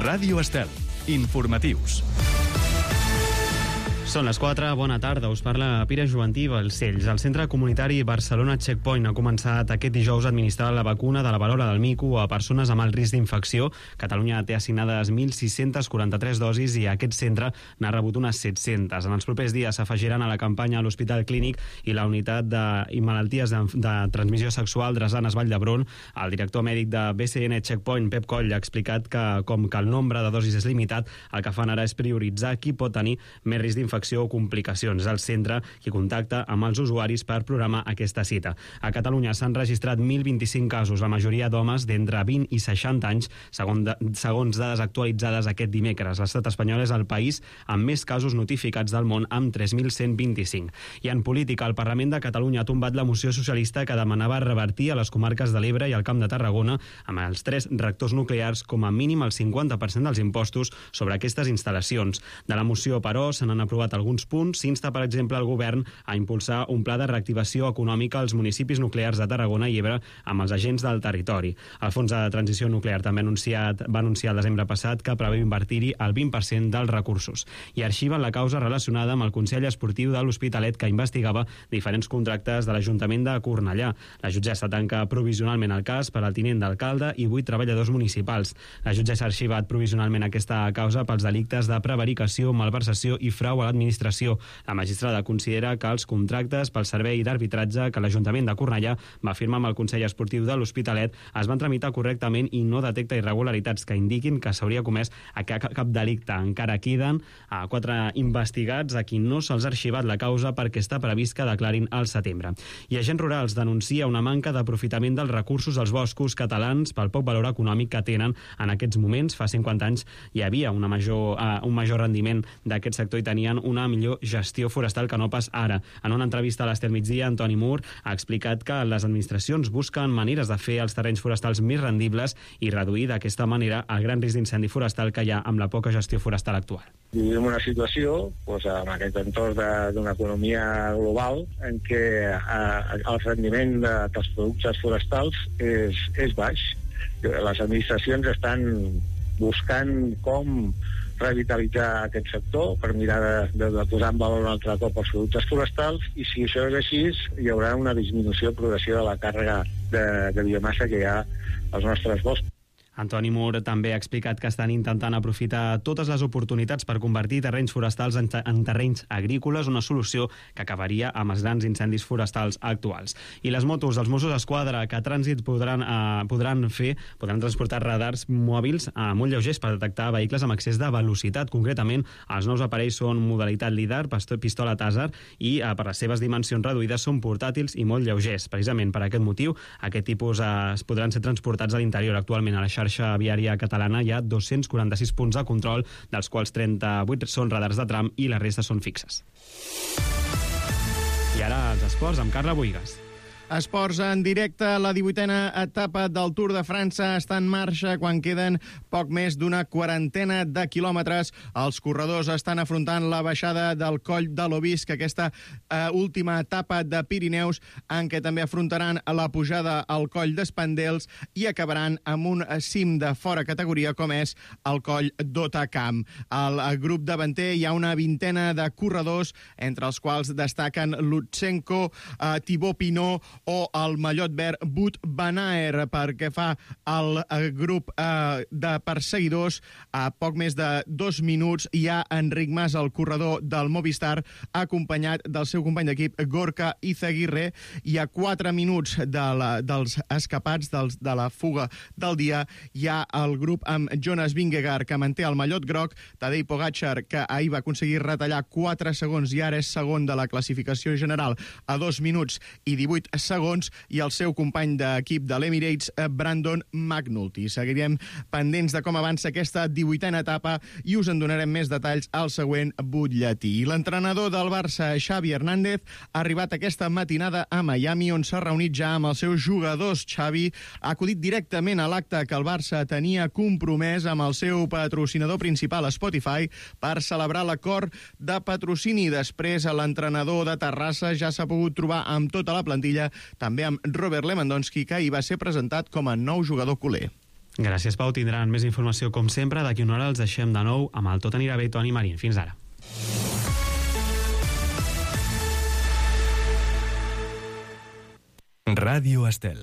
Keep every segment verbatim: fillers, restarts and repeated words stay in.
Ràdio Estel. Informatius. Són les quatre, bona tarda, us parla Pere Jovantí Balcells. El Centre Comunitari Barcelona Checkpoint ha començat aquest dijous a administrar la vacuna de la verola del mico a persones amb alt risc d'infecció. Catalunya té assignades mil sis-centes quaranta-tres dosis i aquest centre n'ha rebut unes set-centes. En els propers dies s'afegiran a la campanya a l'Hospital Clínic i la Unitat de i Malalties de, de Transmissió Sexual Dresanes Vall d'Hebron. El director mèdic de B C N Checkpoint, Pep Coll, ha explicat que, com que el nombre de dosis és limitat, el que fan ara és prioritzar qui pot tenir més risc d'infecció o complicacions. El centre qui contacta amb els usuaris per programar aquesta cita. A Catalunya s'han registrat mil vint-i-cinc casos, la majoria d'homes d'entre vint i seixanta anys, segons, de, segons dades actualitzades aquest dimecres. L'estat espanyol és el país amb més casos notificats del món, amb tres mil cent vint-i-cinc. I en política, el Parlament de Catalunya ha tombat la moció socialista que demanava revertir a les comarques de l'Ebre i el Camp de Tarragona, amb els tres reactors nuclears, com a mínim el cinquanta per cent dels impostos sobre aquestes instal·lacions. De la moció, però, se n'han aprovat alguns punts. S'insta, per exemple, el govern a impulsar un pla de reactivació econòmica als municipis nuclears de Tarragona i Ebre amb els agents del territori. El Fons de Transició Nuclear també ha anunciat, va anunciar el desembre passat que preveu invertir-hi el vint per cent dels recursos. I arxiven la causa relacionada amb el Consell Esportiu de l'Hospitalet, que investigava diferents contractes de l'Ajuntament de Cornellà. La jutgessa tanca provisionalment el cas per al tinent d'alcalde i vuit treballadors municipals. La jutgessa ha arxivat provisionalment aquesta causa pels delictes de prevaricació, malversació i frau a l'administració. La magistrada considera que els contractes pel servei d'arbitratge que l'Ajuntament de Cornellà va firmar amb el Consell Esportiu de l'Hospitalet es van tramitar correctament i no detecta irregularitats que indiquin que s'hauria comès a cap, cap delicte. Encara queden a quatre investigats a qui no se'ls ha arxivat la causa perquè està previst que declarin al setembre. I Agents Rurals denuncia una manca d'aprofitament dels recursos als boscos catalans pel poc valor econòmic que tenen en aquests moments. Fa cinquanta anys hi havia una major, uh, un major rendiment d'aquest sector i tenien una millor gestió forestal que no pas ara. En una entrevista a l'Estel Migdia, Antoni Mur ha explicat que les administracions busquen maneres de fer els terrenys forestals més rendibles i reduir d'aquesta manera el gran risc d'incendi forestal que hi ha amb la poca gestió forestal actual. Vivim una situació, doncs, en aquest entorn d'una economia global en què eh, el rendiment de, dels productes forestals és, és baix. Les administracions estan buscant com revitalitzar aquest sector per mirar de, de, de posar en valor un altre cop els productes forestals, i si això és així hi haurà una disminució progressiva de la càrrega de, de biomassa que hi ha als nostres boscos. Antoni Mur també ha explicat que estan intentant aprofitar totes les oportunitats per convertir terrenys forestals en, en terrenys agrícoles, una solució que acabaria amb els grans incendis forestals actuals. I les motos dels Mossos d'Esquadra que a trànsit podran, eh, podran fer, podran transportar radars mòbils eh, molt lleugers per detectar vehicles amb excés de velocitat. Concretament, els nous aparells són modalitat LiDAR, pistola Taser, i eh, per les seves dimensions reduïdes són portàtils i molt lleugers. Precisament per aquest motiu, aquest tipus eh, podran ser transportats a l'interior. Actualment a la xarxa viària catalana hi ha dos-cents quaranta-sis punts de control, dels quals trenta-vuit són radars de tram i la resta són fixes. I ara els esports amb Carla Boigas. Esports en directe. La divuitena etapa del Tour de França està en marxa quan queden poc més d'una quarantena de quilòmetres. Els corredors estan afrontant la baixada del Coll de l'Obisc, aquesta eh, última etapa de Pirineus, en què també afrontaran la pujada al Coll d'Espandels i acabaran amb un cim de fora categoria com és el Coll d'Otacam. Al grup davanter hi ha una vintena de corredors, entre els quals destaquen Lutsenko, eh, Thibaut Pinot o el mallot verd Wout van Aert. Perquè fa el grup eh, de perseguidors, a poc més de dos minuts hi ha Enric Mas, el corredor del Movistar, acompanyat del seu company d'equip Gorka Izaguirre, i a quatre minuts de la, dels escapats dels, de la fuga del dia hi ha el grup amb Jonas Vingegaard, que manté el mallot groc, Tadej Pogačar, que ahir va aconseguir retallar quatre segons i ara és segon de la classificació general a dos minuts i divuit segons, i el seu company d'equip de l'Emirates, Brandon McNulty. Seguirem pendents de com avança aquesta divuitena etapa i us en donarem més detalls al següent butlletí. L'entrenador del Barça, Xavi Hernández, ha arribat aquesta matinada a Miami, on s'ha reunit ja amb els seus jugadors. Xavi ha acudit directament a l'acte que el Barça tenia compromès amb el seu patrocinador principal, Spotify, per celebrar l'acord de patrocini. Després, l'entrenador de Terrassa ja s'ha pogut trobar amb tota la plantilla, també amb Robert Lewandowski, que ahir va ser presentat com a nou jugador culer. Gràcies, Pau. Tindran més informació, com sempre. D'aquí una hora els deixem de nou amb el Tot anirà bé, Toni Marín. Fins ara. Ràdio Estel.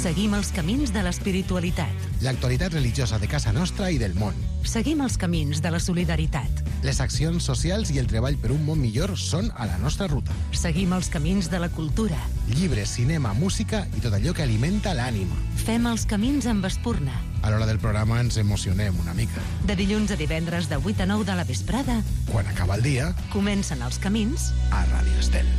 Seguim els camins de l'espiritualitat. L'actualitat religiosa de casa nostra i del món. Seguim els camins de la solidaritat. Les accions socials i el treball per un món millor són a la nostra ruta. Seguim els camins de la cultura. Llibres, cinema, música i tot allò que alimenta l'ànima. Fem els camins amb Espurna. A l'hora del programa ens emocionem una mica. De dilluns a divendres de vuit a nou de la vesprada, Quan acaba el dia, comencen els camins a Ràdio Estel.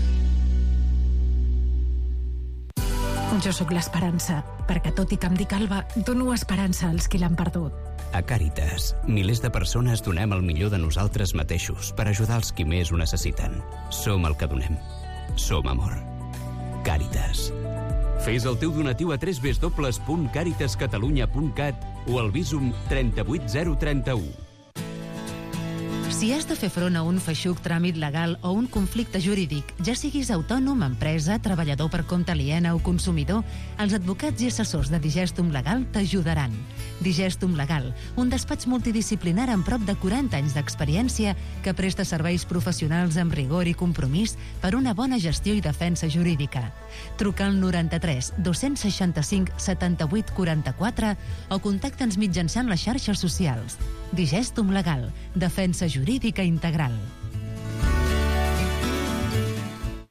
Jo sóc l'esperança, perquè tot i que em dic Alba, dono esperança als qui l'han perdut. A Càritas, milers de persones donem el millor de nosaltres mateixos per ajudar els qui més ho necessiten. Som el que donem. Som amor. Càritas. Fes el teu donatiu a w w w punt càritas catalunya punt cat o al Bizum trenta-vuit zero trenta-u. Si has de fer front a un feixuc tràmit legal o un conflicte jurídic, ja siguis autònom, empresa, treballador per compte aliena o consumidor, els advocats i assessors de Digestum Legal t'ajudaran. Digestum Legal, un despatx multidisciplinar amb prop de quaranta anys d'experiència que presta serveis professionals amb rigor i compromís per una bona gestió i defensa jurídica. Truca al noranta-tres dos-cents seixanta-cinc setanta-vuit quaranta-quatre o contacta'ns mitjançant les xarxes socials. Digestum Legal, defensa jurídica integral.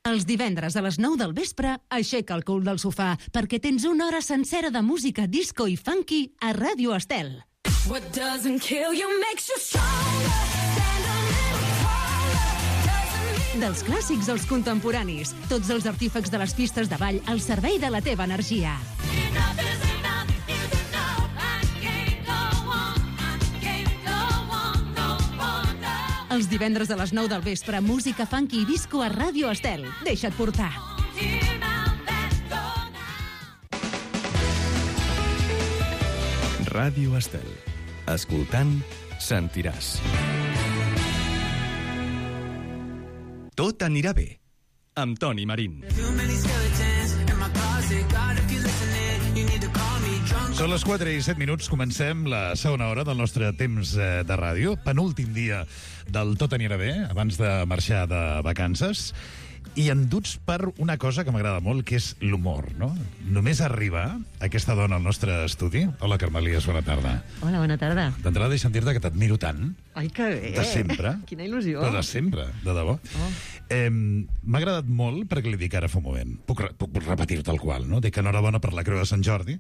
Els divendres a les nou del vespre, aixeca el cul del sofà, perquè tens una hora sencera de música disco i funky a Ràdio Estel. What doesn't kill you makes you stronger. Dels clàssics als contemporanis, tots els artífecs de les pistes de ball al servei de la teva energia. Els divendres a les nou del vespre, música funky i disco a Ràdio Estel. Deixa't portar. Ràdio Estel. Escoltant, sentiràs. Tot anirà bé, amb Toni Marín. Són les quatre i set minuts, comencem la segona hora del nostre temps de ràdio, penúltim dia del Tot anirà bé, abans de marxar de vacances, i enduts per una cosa que m'agrada molt, que és l'humor, no? Només arribar aquesta dona al nostre estudi. Hola, Carmelies, bona tarda. Hola, bona tarda. D'entrada deixa'm dir-te que t'admiro tant. Ai, que bé. De sempre. Quina il·lusió. Però de sempre, de debò. Oh. Eh, M'ha agradat molt perquè li dic ara fa un moment. Puc, puc repetir tal qual, no? Dic enhorabona per la Creu de Sant Jordi,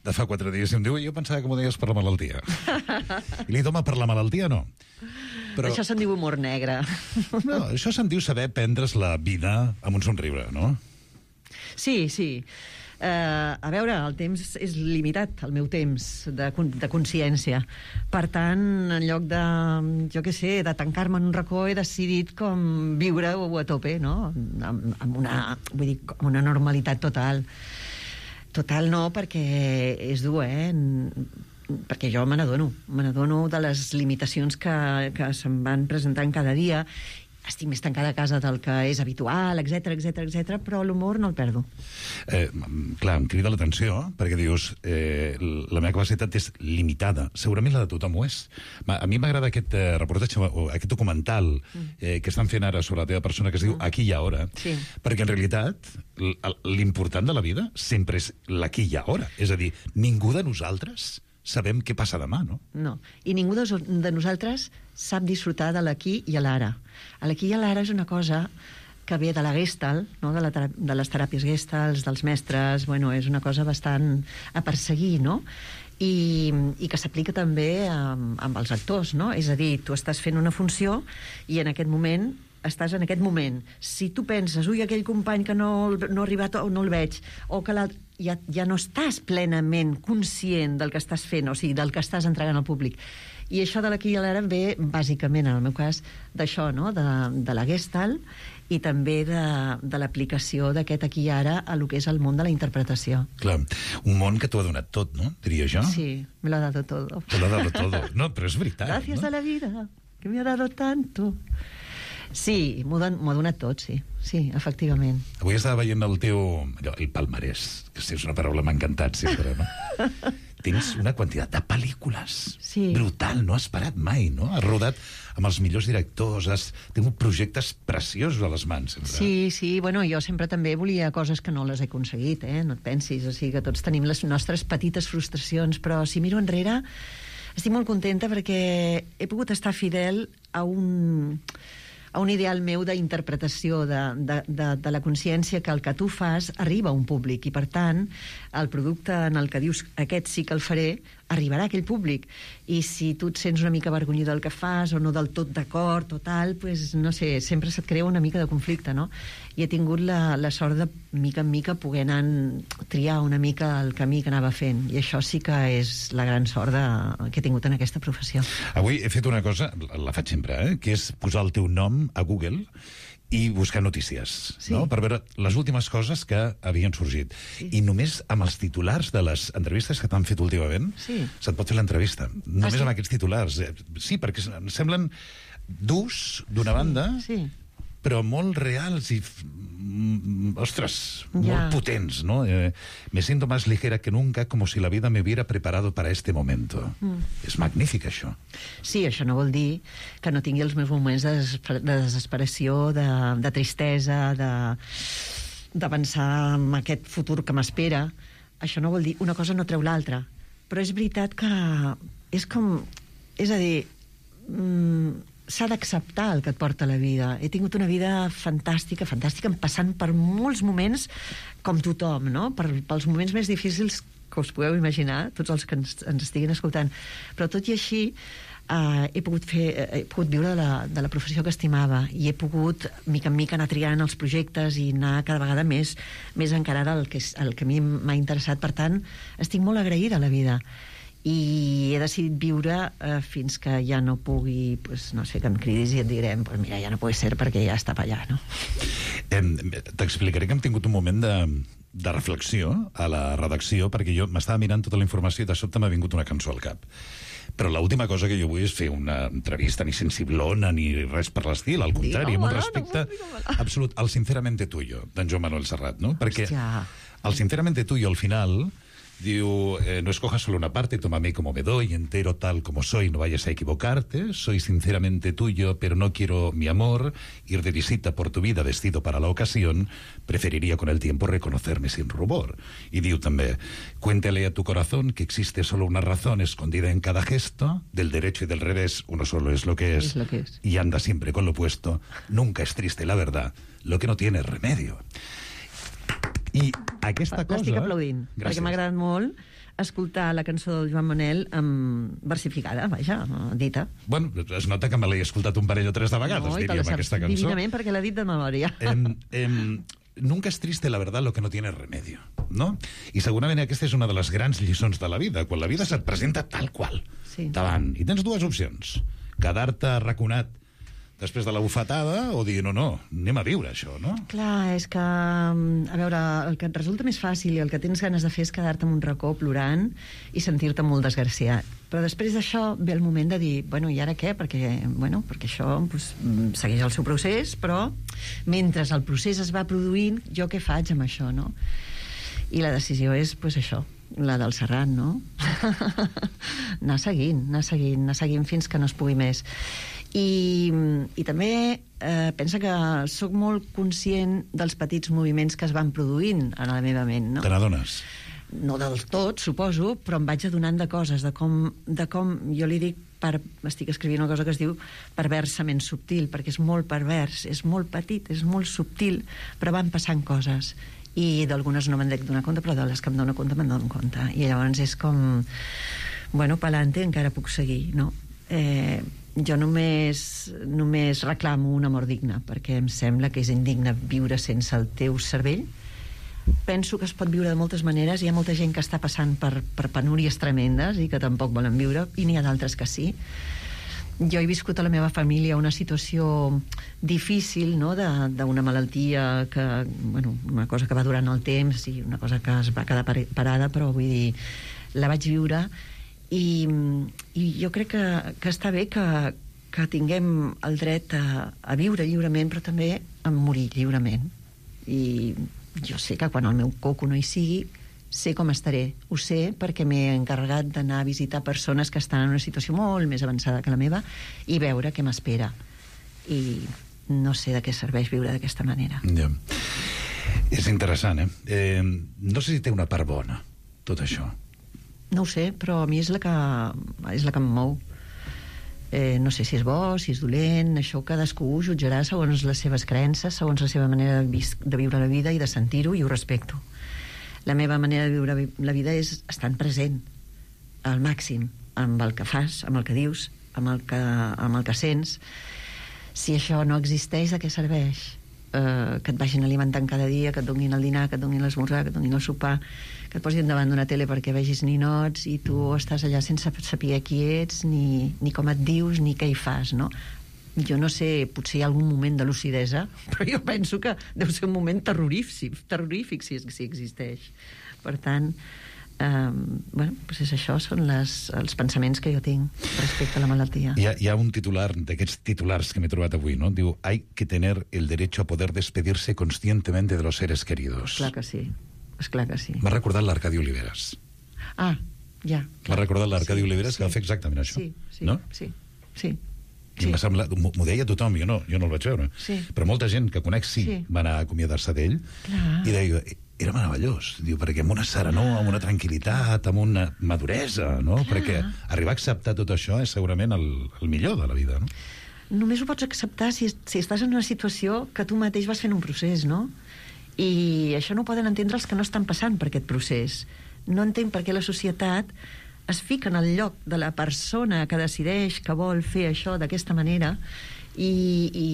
de fa quatre dies, i em diu, jo pensava que m'ho deies per la malaltia. I li dic, home, per la malaltia no. Però... Això se'n diu humor negre. No, això se'n diu saber prendre's la vida amb un somriure, no? Sí, sí. Uh, a veure, el temps és limitat, el meu temps de, de consciència. Per tant, en lloc de, jo què sé, de tancar-me en un racó, he decidit com viure-ho a tope, no? Amb, amb, una, vull dir, amb una normalitat total. Total no, perquè és dur, eh? Perquè jo me n'adono. Me n'adono de les limitacions que, que se'm van presentant cada dia. Estic més tancada a casa del que és habitual, etcètera, etcètera, etcètera, però l'humor no el perdo. Eh, clar, em crida l'atenció, perquè dius, eh, la meva capacitat és limitada. Segurament la de tothom ho és. A mi m'agrada aquest eh, reportatge, o aquest documental eh, que estan fent ara sobre la teva persona, que es diu Aquí i Ara, sí. Perquè en realitat l'important de la vida sempre és l'aquí i ara. És a dir, ningú de nosaltres sabem què passa demà, no? No, i ningú de, de nosaltres sap disfrutar de l'aquí i a l'ara. L'aquí i a l'ara és una cosa que ve de la Gestalt, no? de, la, de les teràpies Gestalt, dels mestres, bueno, és una cosa bastant a perseguir, no? I, i que s'aplica també amb, amb els actors, no? És a dir, tu estàs fent una funció i en aquest moment estàs en aquest moment. Si tu penses, ui, aquell company que no, no ha arribat o no el veig, o que l'altre... Ja, ja no estàs plenament conscient del que estàs fent, o sigui, del que estàs entregant al públic. I això de l'aquí i l'ara ve, bàsicament, en el meu cas, d'això, no? De, de la Gestalt i també de, de l'aplicació d'aquest aquí i ara a lo que és el món de la interpretació. Clar, un món que t'ho ha donat tot, no? Diria jo. Sí, me lo ha dado todo. Te lo ha dado todo. No, però és veritat, Gràcies no? a la vida, que me ha dado tanto. Sí, m'ho m'ho ha donat tot, sí. Sí, efectivament. Avui estava veient el teu... allò, el palmarès, que és una paraula m'ha encantat sempre, no? Tens una quantitat de pel·lícules. Sí. Brutal, no has parat mai, no? Has rodat amb els millors directors, has tingut projectes preciosos a les mans, sempre. Sí, sí, bueno, jo sempre també volia coses que no les he aconseguit, eh? No et pensis, o sigui que tots tenim les nostres petites frustracions, però si miro enrere estic molt contenta perquè he pogut estar fidel a un... a un ideal meu d'interpretació de, de, de, de la consciència que el que tu fas arriba a un públic i, per tant, el producte en el que dius aquest sí que el faré, arribarà a aquell públic. I si tu et sents una mica avergonyit del que fas o no del tot d'acord o tal, pues, no sé, sempre se't crea una mica de conflicte, no? I he tingut la, la sort de, mica en mica, poder anar triar una mica el camí que anava fent. I això sí que és la gran sort de, que he tingut en aquesta professió. Avui he fet una cosa, la faig sempre, eh? Que és posar el teu nom a Google i buscar notícies, sí. no? Per veure les últimes coses que havien sorgit. Sí. I només amb els titulars de les entrevistes que t'han fet últimament sí. se't pot fer l'entrevista. Només ah, sí? amb aquests titulars. Sí, perquè semblen durs, d'una sí, banda, sí. però molt reals i, ostres, ja. molt potents, ¿no? Eh, me siento más ligera que nunca, como si la vida me hubiera preparado para este momento. Mm. És magnífic, això. Sí, això no vol dir que no tingui els meus moments de, desesper de desesperació, de, de tristesa, de, de pensar en aquest futur que m'espera. Això no vol dir... Una cosa no treu l'altra. Però és veritat que és com... És a dir... Mm, s'ha d'acceptar el que et porta la vida. He tingut una vida fantàstica, fantàstica, passant per molts moments com tothom, no? Per, pels moments més difícils que us podeu imaginar, tots els que ens, ens estiguin escoltant. Però tot i així, eh, he pogut fer, he pogut viure de la, de la professió que estimava i he pogut, mica en mica, anar triant els projectes i anar cada vegada més, més encarada al que, al que a mi m'ha interessat. Per tant, estic molt agraïda a la vida. I he decidit viure eh, fins que ja no pugui, pues, no sé, que em cridis i et direm, pues mira, ja no pot ser perquè ja està per allà, no? Eh, T'explicaré que hem tingut un moment de, de reflexió a la redacció, perquè jo m'estava mirant tota la informació i de sobte m'ha vingut una cançó al cap. Però l'última cosa que jo vull és fer una entrevista ni sensiblona ni res per l'estil, al contrari, amb un respecte absolut al Sinceramente Tuyo, d'en Joan Manuel Serrat, no? Perquè el Sinceramente Tuyo, al final... Diu, eh, no escojas solo una parte, tómame como me doy, entero tal como soy, no vayas a equivocarte, soy sinceramente tuyo, pero no quiero mi amor, ir de visita por tu vida vestido para la ocasión, preferiría con el tiempo reconocerme sin rubor. Y diu també, cuéntale a tu corazón que existe solo una razón escondida en cada gesto, del derecho y del revés, uno solo es lo que es, es, lo que es. Y anda siempre con lo opuesto, nunca es triste la verdad, lo que no tiene remedio. I aquesta cosa... L'estic aplaudint, gràcies. Perquè m'ha agradat molt escoltar la cançó del Joan Manel um, versificada, vaja, dita. Bueno, es nota que me l'he escoltat un parell o tres de vegades, no, diríem, aquesta cançó. Divinament, perquè l'ha dit de memòria. Em, em, nunca es triste la verdad lo que no tiene remedio, no? I segurament aquesta és una de les grans lliçons de la vida, quan la vida se't presenta tal qual, sí. davant, i tens dues opcions, quedar-te arraconat després de la bufetada o dir, no, no, anem a viure això, no? Clar, és que, a veure, el que et resulta més fàcil i el que tens ganes de fer és quedar-te en un racó plorant i sentir-te molt desgraciat. Però després d'això ve el moment de dir, bueno, i ara què? Perquè, bueno, perquè això pues, segueix el seu procés, però mentre el procés es va produint, jo què faig amb això, no? I la decisió és, pues, això, la del Serrat, no? anar seguint, anar seguint, anar seguint fins que no es pugui més. I, i també eh, pensa que sóc molt conscient dels petits moviments que es van produint a la meva ment, no? Te n'adones? No del tot, suposo, però em vaig adonant de coses, de com, de com jo li dic, per, estic escrivint una cosa que es diu perversament subtil, perquè és molt pervers, és molt petit, és molt subtil, però van passant coses. I d'algunes no me'n dec donar compte, però de les que em dono compte me'n dono compte. I llavors és com, bueno, pa'lante, encara puc seguir, no? Eh, jo només, només reclamo un amor digne, perquè em sembla que és indigne viure sense el teu cervell. Penso que es pot viure de moltes maneres, hi ha molta gent que està passant per, per penúries tremendes i que tampoc volen viure, i n'hi ha d'altres que sí. Jo he viscut a la meva família una situació difícil, no?, d'una malaltia que, bueno, una cosa que va durant el temps i una cosa que es va quedar parada, però vull dir, la vaig viure. I, i jo crec que, que està bé que, que tinguem el dret a, a viure lliurement, però també a morir lliurement. I jo sé que quan el meu coco no hi sigui, sé com estaré. Ho sé perquè m'he encarregat d'anar a visitar persones que estan en una situació molt més avançada que la meva i veure què m'espera. I no sé de què serveix viure d'aquesta manera. Ja. És interessant, eh? eh? No sé si té una part bona, tot això. No ho sé, però a mi és la que, és la que em mou. Eh, no sé si és bo, si és dolent, això cadascú ho jutjarà segons les seves creences, segons la seva manera de, vis- de viure la vida i de sentir-ho, i ho respecto. La meva manera de viure la vida és estar present al màxim amb el que fas, amb el que dius, amb el que, amb el que sents. Si això no existeix, de què serveix? Eh, que et vagin alimentant cada dia, que et donin el dinar, que et donin l'esmorzar, que et donin el sopar, que et posin davant d'una tele perquè vegis ninots i tu estàs allà sense saber qui ets, ni, ni com et dius, ni què hi fas, no? Jo no sé, potser hi ha algun moment de lucidesa, però jo penso que deu ser un moment terrorífic, terrorífic si, si existeix. Per tant, eh, bueno, doncs és això, són les, els pensaments que jo tinc respecte a la malaltia. Hi ha, hi ha un titular d'aquests titulars que m'he trobat avui, no? Diu, hay que tener el derecho a poder despedirse conscientemente de los seres queridos. Clar que sí, és clar que sí. M'ha recordat l'Arcadi Oliveres. Ah, ja. M'ha recordat l'Arcadi sí, Oliveres, sí. que va fer exactament això. Sí, sí, no? sí, sí. Sí. M'ha semblat, m'ho m'ho deia tothom, jo no, jo no el vaig veure. Sí. Però molta gent que conec sí, Sí. va anar a acomiadar-se d'ell. Clar. I deia, era meravellós, diu, perquè amb una serenor, amb una tranquil·litat, amb una maduresa, no? Clar. Perquè arribar a acceptar tot això és segurament el, el millor de la vida, no? Només ho pots acceptar si, si estàs en una situació que tu mateix vas fent un procés, no? I això no ho poden entendre els que no estan passant per aquest procés. No entenc per què la societat es fica en el lloc de la persona que decideix que vol fer això d'aquesta manera i, i,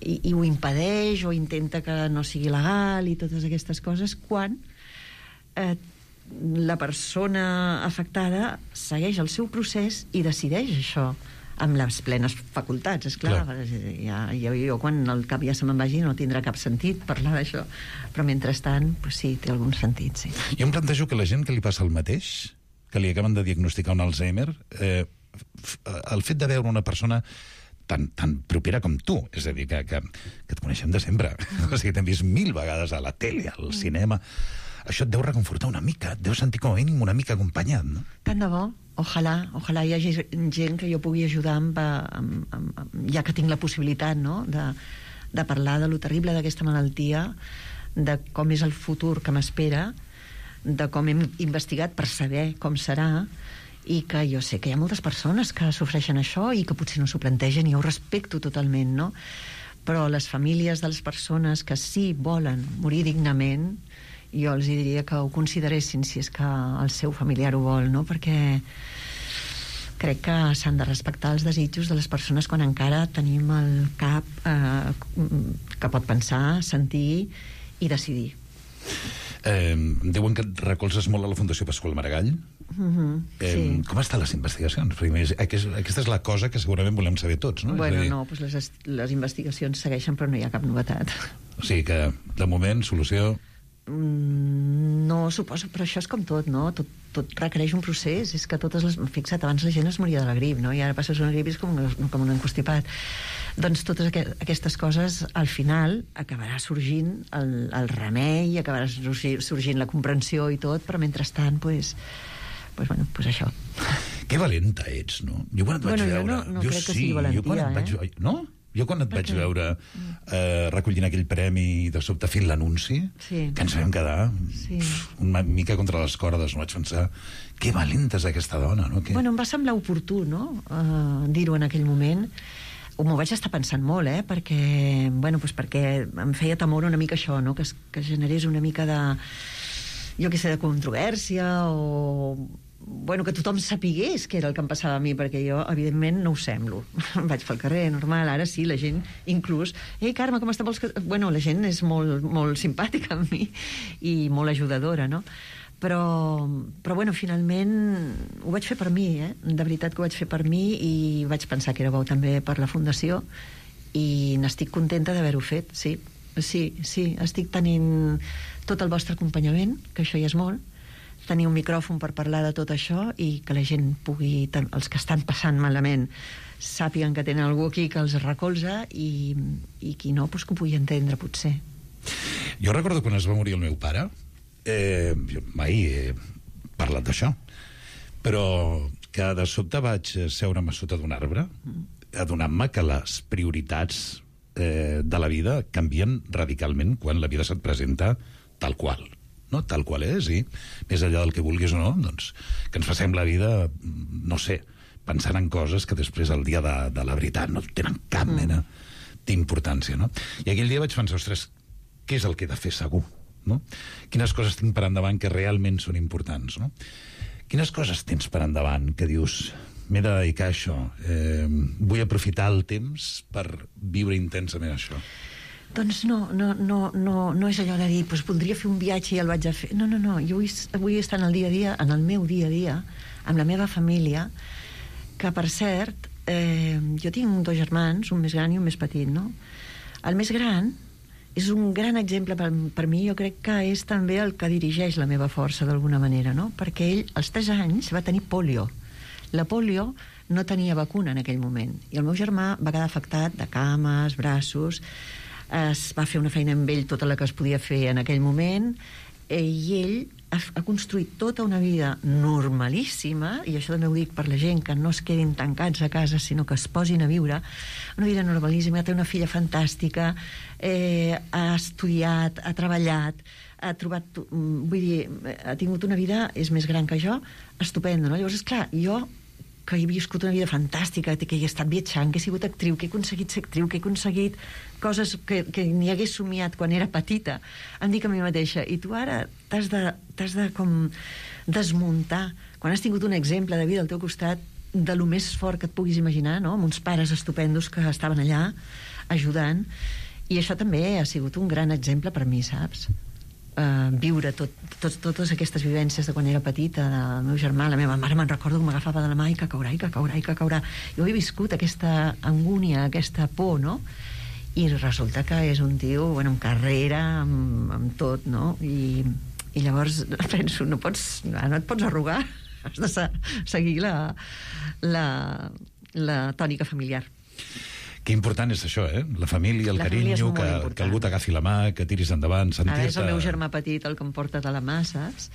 i, i ho impedeix o intenta que no sigui legal i totes aquestes coses, quan eh, la persona afectada segueix el seu procés i decideix això amb les plenes facultats, esclar. Ja, ja, jo quan el cap ja se me'n vagi no tindrà cap sentit parlar d'això, però mentrestant pues sí, té algun sentit, sí. Jo em plantejo que la gent que li passa el mateix, que li acaben de diagnosticar un Alzheimer, eh, el fet de veure una persona tan, tan propera com tu, és a dir, que, que, que et coneixem de sempre, o sigui, t'hem vist mil vegades a la tele, al cinema, això et deu reconfortar una mica, et deu sentir com a mínim una mica acompanyat, no? Tant de bo, ojalà, ojalà hi hagi gent que jo pugui ajudar amb, amb, amb, amb, ja que tinc la possibilitat, no?, de, de parlar de lo terrible d'aquesta malaltia, de com és el futur que m'espera, de com hem investigat per saber com serà, i que jo sé que hi ha moltes persones que sofreixen això i que potser no s'ho plantegen, i jo ho respecto totalment, no? Però les famílies de les persones que sí volen morir dignament, jo els diria que ho consideressin si és que el seu familiar ho vol, no? Perquè crec que s'han de respectar els desitjos de les persones quan encara tenim el cap eh, que pot pensar, sentir i decidir. Eh, diuen que et recolzes molt a la Fundació Pasqual Maragall. Mm-hmm, eh, sí. Com estan les investigacions? Perquè aquesta, aquesta és la cosa que segurament volem saber tots, no? Bueno, és a dir, no, doncs les, les investigacions segueixen, però no hi ha cap novetat. O sigui que, de moment, solució... Mm, no, suposo, però això és com tot, no? Tot, tot requereix un procés. És que totes les... Fixa't, abans la gent es moria de la grip, no? I ara passes una grip i és com, com un encostipat. Doncs totes aqu aquestes coses, al final, acabarà sorgint el, el remei, acabarà sorgint la comprensió i tot, però mentrestant, doncs... Pues, bueno, pues això. Que valenta ets, no? Jo quan et vaig bueno, veure... Jo no, no jo crec que sí, sigui valentia, jo quan et vaig... eh? No? Jo quan et vaig veure eh, recollint aquell premi i de sobte fent l'anunci, sí. que ens vam quedar sí. una mica contra les cordes, no vaig pensar que valenta és aquesta dona, no? Que... Bueno, em va semblar oportú, no?, uh, dir-ho en aquell moment. M'ho vaig estar pensant molt, eh?, perquè, bueno, pues perquè em feia temor una mica això, no?, que, es, que generés una mica de, jo què sé, de controvèrsia o... Bueno, que tothom sapigués què era el que em passava a mi, perquè jo, evidentment, no ho semblo. Vaig pel carrer, normal, ara sí, la gent, inclús... Ei, Carme, com està? Vols que... Bueno, la gent és molt, molt simpàtica amb mi i molt ajudadora, no? Però, però, bueno, finalment ho vaig fer per mi, eh? De veritat que ho vaig fer per mi i vaig pensar que era bo també per la Fundació i n'estic contenta d'haver-ho fet, sí. Sí, sí, estic tenint tot el vostre acompanyament, que això ja és molt. tenir un micròfon per parlar de tot això i que la gent pugui, els que estan passant malament, sàpiguen que tenen algú aquí que els recolza i, i qui no, doncs que ho pugui entendre, potser. Jo recordo quan es va morir el meu pare, eh, jo mai he parlat d'això, però que de sobte vaig seure'm a sota d'un arbre adonant-me que les prioritats eh, de la vida canvien radicalment quan la vida se't presenta tal qual, no? Tal qual és, i més enllà del que vulguis o no, doncs que ens passem la vida, no sé, pensant en coses que després el dia de, de la veritat no tenen cap mena d'importància, no? I aquell dia vaig pensar, ostres, què és el que he de fer segur, no? Quines coses tinc per endavant que realment són importants, no? Quines coses tens per endavant que dius, m'he de dedicar a això, eh, vull aprofitar el temps per viure intensament això? Doncs no, no, no, no, no és allò de dir, doncs voldria fer un viatge i el vaig a fer. No, no, no, jo vull, vull estar en el dia a dia, en el meu dia a dia, amb la meva família, que, per cert, eh, jo tinc dos germans, un més gran i un més petit, no? El més gran és un gran exemple per, per mi, jo crec que és també el que dirigeix la meva força d'alguna manera, no? Perquè ell, als tres anys, va tenir pòlio. La pòlio no tenia vacuna en aquell moment, i el meu germà va quedar afectat de cames, braços, es va fer una feina amb ell tota la que es podia fer en aquell moment, i ell ha, ha construït tota una vida normalíssima, i això també ho dic per la gent, que no es quedin tancats a casa, sinó que es posin a viure, una vida normalíssima, té una filla fantàstica, eh, ha estudiat, ha treballat, ha trobat, vull dir, ha tingut una vida, és més gran que jo, estupenda, no? Llavors, esclar, jo que he viscut una vida fantàstica, que he estat viatjant, que he sigut actriu, que he aconseguit ser actriu, que he aconseguit coses que, que ni hagués somiat quan era petita, em dic a mi mateixa, i tu ara t'has de, t'has de com desmuntar, quan has tingut un exemple de vida al teu costat, de lo més fort que et puguis imaginar, no? Amb uns pares estupendos que estaven allà ajudant, i això també ha sigut un gran exemple per mi, saps? Uh, viure tot, tot, totes aquestes vivències de quan era petita, del meu germà, la meva mare, me'n recordo que m'agafava de la mà i que caurà, i que caurà, i que caurà. Jo he viscut aquesta angúnia, aquesta por, no? I resulta que és un tio, bueno, amb carrera, amb, amb tot, no? I, i llavors penso, no pots, no et pots arrugar, has de se seguir la, la, la tònica familiar. Que important és això, eh? La família, el la carinyo, família que, que algú t'agafi la mà, que tiris endavant, sentir-te... Ara és el meu germà petit el que em porta de la mà, saps?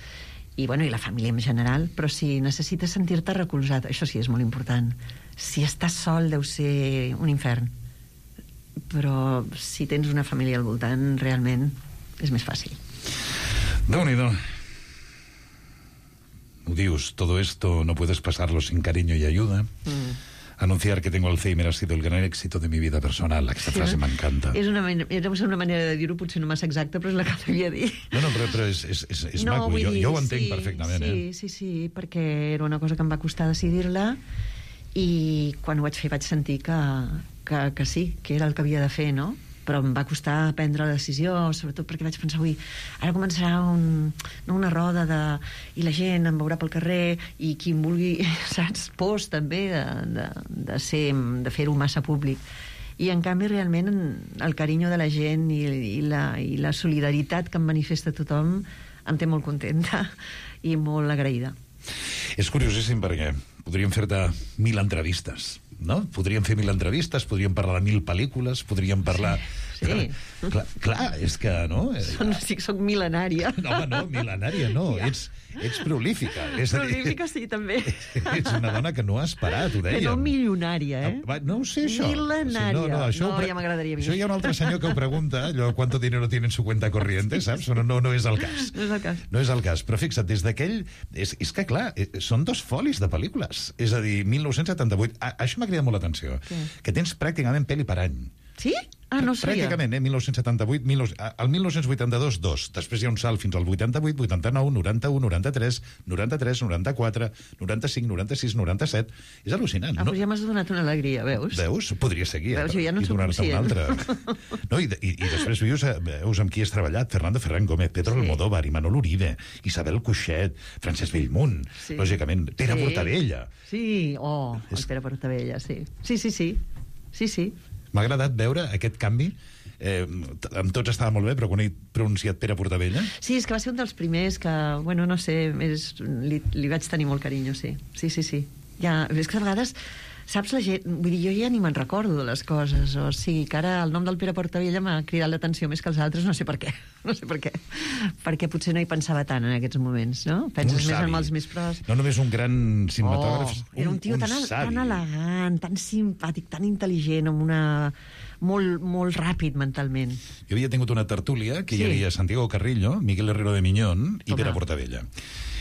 I, bueno, i la família en general, però si necessites sentir-te recolzat, això sí és molt important. Si estàs sol deu ser un infern, però si tens una família al voltant, realment és més fàcil. Déu-n'hi-do. Ho dius, todo esto no puedes pasarlo sin cariño y ayuda. Mm. Anunciar que tengo Alzheimer ha sido el gran éxito de mi vida personal. Aquesta sí, frase m'encanta. És una, és una manera de dir-ho, potser no massa exacta, però és la que devia dir. No, no, però, però és, és, és, és no, maco. Jo, dir, jo ho entenc sí, perfectament. Sí, eh? sí, sí, perquè era una cosa que em va costar decidir-la, i quan ho vaig fer vaig sentir que, que, que sí, que era el que havia de fer, no? Però em va costar prendre la decisió, sobretot perquè vaig pensar, ui, ara començarà un, no, una roda de, i la gent em veurà pel carrer, i qui em vulgui, saps, pors també de, de, de, ser, de fer-ho massa públic. I en canvi realment el carinyo de la gent i, i, la, i la solidaritat que em manifesta tothom em té molt contenta i molt agraïda. És curiosíssim perquè podríem fer-te mil entrevistes, no? Podríem fer mil entrevistes, podríem parlar de mil pel·lícules, podríem parlar... Sí, sí. Clar, clar, és que, no? Són, sí que soc mil·lenària. No, home, no, mil·lenària no, ja. ets, ets prolífica. És prolífica, sí, també. Ets una dona que no has parat, ho dèiem. Que no milionària, eh? Ah, no ho sé, això. Mil·lenària. No, no, això no ho... ja m'agradaria a mi. Això hi ha un altre senyor que ho pregunta, allò, ¿cuánto dinero tiene en su cuenta corriente, saps? No, no, no és el cas. No és el cas. No és el cas, però fixa't, des d'aquell... És, és que, clar, són dos folis de pel·lícules. És a dir, mil nou-cents setanta-vuit... A, això m'ha cridat molt l'atenció. Que tens pràcticament pel·li per any. Sí? Ah, no sabia. Pràcticament, eh? mil nou-cents setanta-vuit, el mil nou-cents vuitanta-dos, dos. Després hi ha un salt fins al vuitanta-vuit, vuitanta-nou, noranta-u, noranta-tres, noranta-tres, noranta-quatre, noranta-cinc, noranta-sis, noranta-set... És al·lucinant. Ah, no? Però ja m'has donat una alegria, veus? Veus? Podria seguir. Veus, jo ja no i soc conscient. No, i, i, I després veus, veus amb qui has treballat, Fernando Ferran Gómez, Pedro sí. Almodóvar, Imanol Uribe, Isabel Cuixet, Francesc Bellmunt, sí. lògicament, Pere sí. Portabella. Sí, oh, el Pere Portabella, sí. Sí, sí, sí. Sí, sí. M'ha agradat veure aquest canvi eh, amb tots estava molt bé, però quan he pronunciat Pere Portabella... Sí, és que va ser un dels primers que, bueno, no sé, és, li, li vaig tenir molt carinyo, sí. Sí, sí, sí. Ja, és que a vegades... Saps, la gent... Vull dir, jo ja ni me'n recordo de les coses, o sigui, que ara el nom del Pere Portabella m'ha cridat l'atenció més que els altres, no sé per què, no sé per què, perquè potser no hi pensava tant en aquests moments, no? Penses més en els més pros. No només un gran cinematògraf, oh, era un tio un, tan, un tan elegant, tan simpàtic, tan intel·ligent, amb una... molt, molt ràpid mentalment. Jo havia tingut una tertúlia que Sí. hi havia Santiago Carrillo, Miguel Herrero de Miñón i Home. Pere Portabella.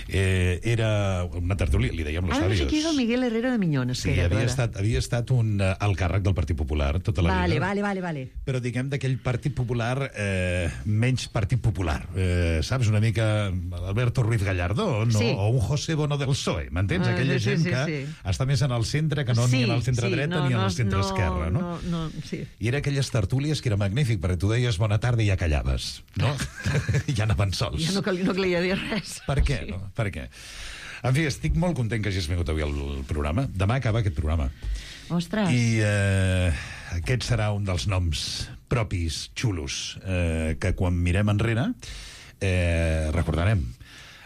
Eh, era una tertúlia, li dèiem los Ara no sé sabios. qui és el Miguel Herrero de Miñón. Sí, Espera, havia espera. estat, havia estat un uh, alt càrrec del Partit Popular tota la Vale, vida. vale, vale, vale. Però diguem d'aquell Partit Popular eh, menys Partit Popular. Eh, saps, una mica Alberto Ruiz Gallardón, no? Sí. O un José Bono del P S O E, m'entens? Ah, Aquella sí, gent sí, que sí. està més en el centre que no Sí, ni en el centre sí, dreta no, ni en no, el centre no, esquerra, no? no, no, sí. I era aquelles tertúlies que era magnífic, perquè tu deies bona tarda i ja callaves, no? I ja anaven sols. Ja no, cal, no calia dir res. Per què, Sí. no? Per què? En fi, estic molt content que hagis vingut avui al programa. Demà acaba aquest programa. Ostres. I eh, aquest serà un dels noms propis, xulos, eh, que quan mirem enrere eh, recordarem.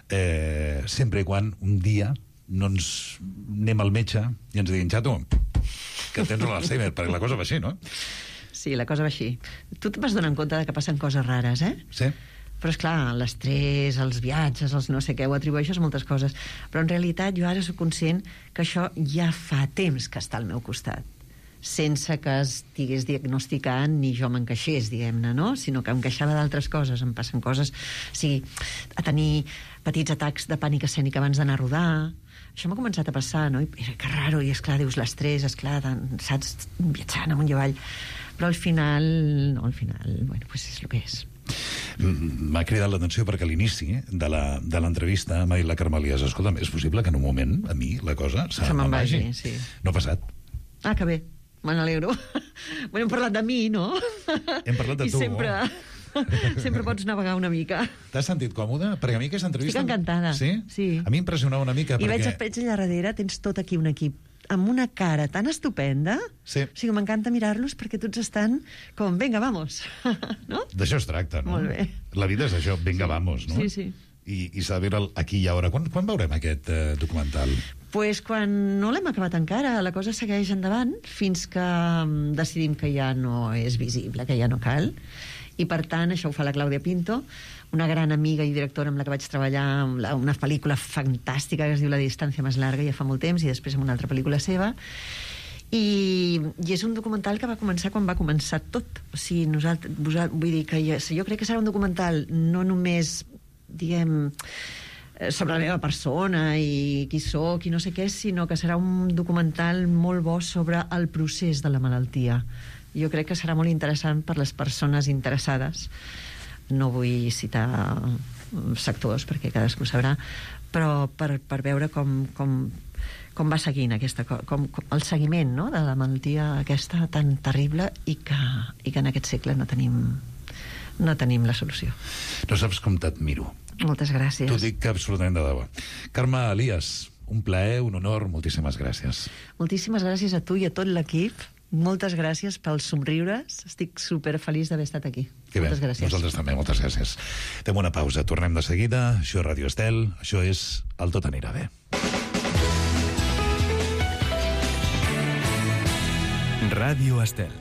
Eh, sempre i quan un dia no ens anem al metge i ens diguin, xato, que tens l'Alzheimer, perquè la cosa va així, no? Sí, la cosa va així. Tu et vas donar compte de que passen coses rares, eh? Sí. Però, és clar, l'estrès, els viatges, els no sé què, ho atribueixes a moltes coses. Però, en realitat, jo ara soc conscient que això ja fa temps que està al meu costat, sense que estigués diagnosticant ni jo m'encaixés, diguem-ne, no? Sinó que em queixava d'altres coses. Em passen coses... O sigui, a tenir petits atacs de pànic escènic abans d'anar a rodar. Això m'ha començat a passar, no? I era que raro, i esclar, dius l'estrès, esclar, saps, viatjant amunt i avall. Però al final, no, al final, bueno, pues és el que és. M'ha cridat l'atenció perquè a l'inici de la- de l'entrevista m'ha dit la Carmelies, escolta'm, és possible que en un moment a mi la cosa se, Se me'n me'n vagi, sí. No ha passat. Ah, que bé, me n'alegro. Bueno, hem parlat de mi, no? Hem parlat de I tu. sempre, sempre pots navegar una mica. T'has sentit còmode? Perquè a mi aquesta entrevista... Estic encantada. Sí? Sí. A mi impressionava una mica I perquè... veig, veig allà darrere, tens tot aquí un equip amb una cara tan estupenda. Sí. O sigui, m'encanta mirar-los perquè tots estan com, venga, vamos. No? D'això es tracta, no? Molt bé. La vida és això, venga, sí. Vamos, no? Sí, sí. I, i s'ha de veure el aquí i ara. Quan, quan veurem aquest eh, documental? Pues quan no l'hem acabat encara, la cosa segueix endavant fins que mm, decidim que ja no és visible, que ja no cal. I, per tant, això ho fa la Clàudia Pinto, una gran amiga i directora amb la que vaig treballar en la- una pel·lícula fantàstica que es diu La distància més larga, ja fa molt temps, i després en una altra pel·lícula seva. I, i és un documental que va començar quan va començar tot. O sigui, nosaltres, vosal, vull dir que jo, jo crec que serà un documental no només, diguem, eh, sobre la meva persona i qui sóc i no sé què, sinó que serà un documental molt bo sobre el procés de la malaltia. Jo crec que serà molt interessant per les persones interessades. No vull citar sectors perquè cadascú sabrà, però per, per veure com, com, com va seguint aquesta, com, com el seguiment, no?, de la malaltia aquesta tan terrible i que, i que en aquest segle no tenim, no tenim la solució. No saps com t'admiro. Moltes gràcies. T'ho dic absolutament de debò. Carme Elias, un plaer, un honor, moltíssimes gràcies. Moltíssimes gràcies a tu i a tot l'equip. Moltes gràcies pels somriures. Estic superfeliç d'haver estat aquí. Que bé, Moltes gràcies. nosaltres també, moltes gràcies. Fem una pausa, tornem de seguida. Això és Ràdio Estel, això és El Tot Anirà Bé. Ràdio Estel.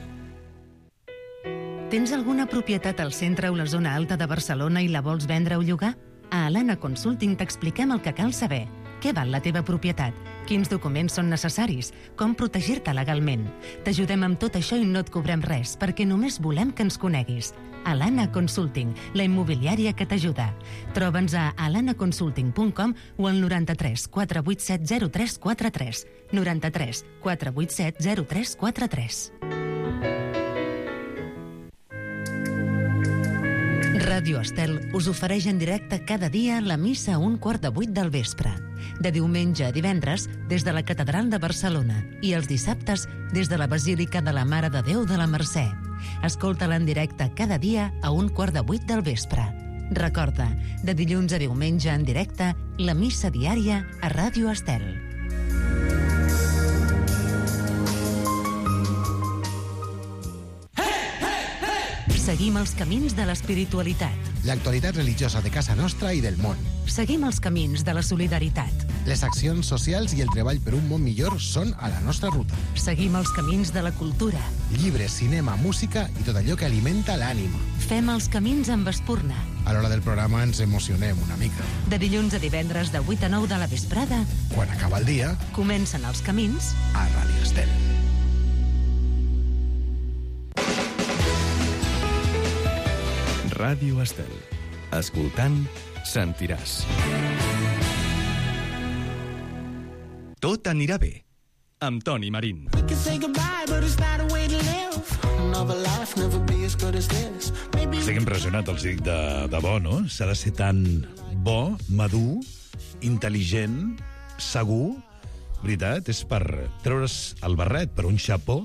Tens alguna propietat al centre o la zona alta de Barcelona i la vols vendre o llogar? A Alana Consulting t'expliquem el que cal saber. Què val la teva propietat? Quins documents són necessaris? Com protegir-te legalment? T'ajudem amb tot això i no et cobrem res, perquè només volem que ens coneguis. Alana Consulting, la immobiliària que t'ajuda. Troba'ns a alana consulting punt com o al noranta-tres quatre vuit set zero tres quatre tres. noranta-tres quatre vuit set zero tres quatre tres. Ràdio Estel us ofereix en directe cada dia la missa a un quart de vuit del vespre. De diumenge a divendres, des de la Catedral de Barcelona, i els dissabtes, des de la Basílica de la Mare de Déu de la Mercè. Escolta-la en directe cada dia a un quart de vuit del vespre. Recorda, de dilluns a diumenge en directe, la missa diària a Ràdio Estel. Seguim els camins de l'espiritualitat. L'actualitat religiosa de casa nostra i del món. Seguim els camins de la solidaritat. Les accions socials i el treball per un món millor són a la nostra ruta. Seguim els camins de la cultura. Llibres, cinema, música i tot allò que alimenta l'ànima. Fem els camins amb Espurna. A l'hora del programa ens emocionem una mica. De dilluns a divendres de vuit a nou de la vesprada, Quan acaba el dia, comencen els camins a Ràdio Estel. Ràdio Estel. Escoltant, sentiràs. Tot anirà bé, amb Toni Marín. Estic impressionat, els dic, de, de bo, no? S'ha de ser tan bo, madur, intel·ligent, segur, veritat, és per treure's el barret, per un xapó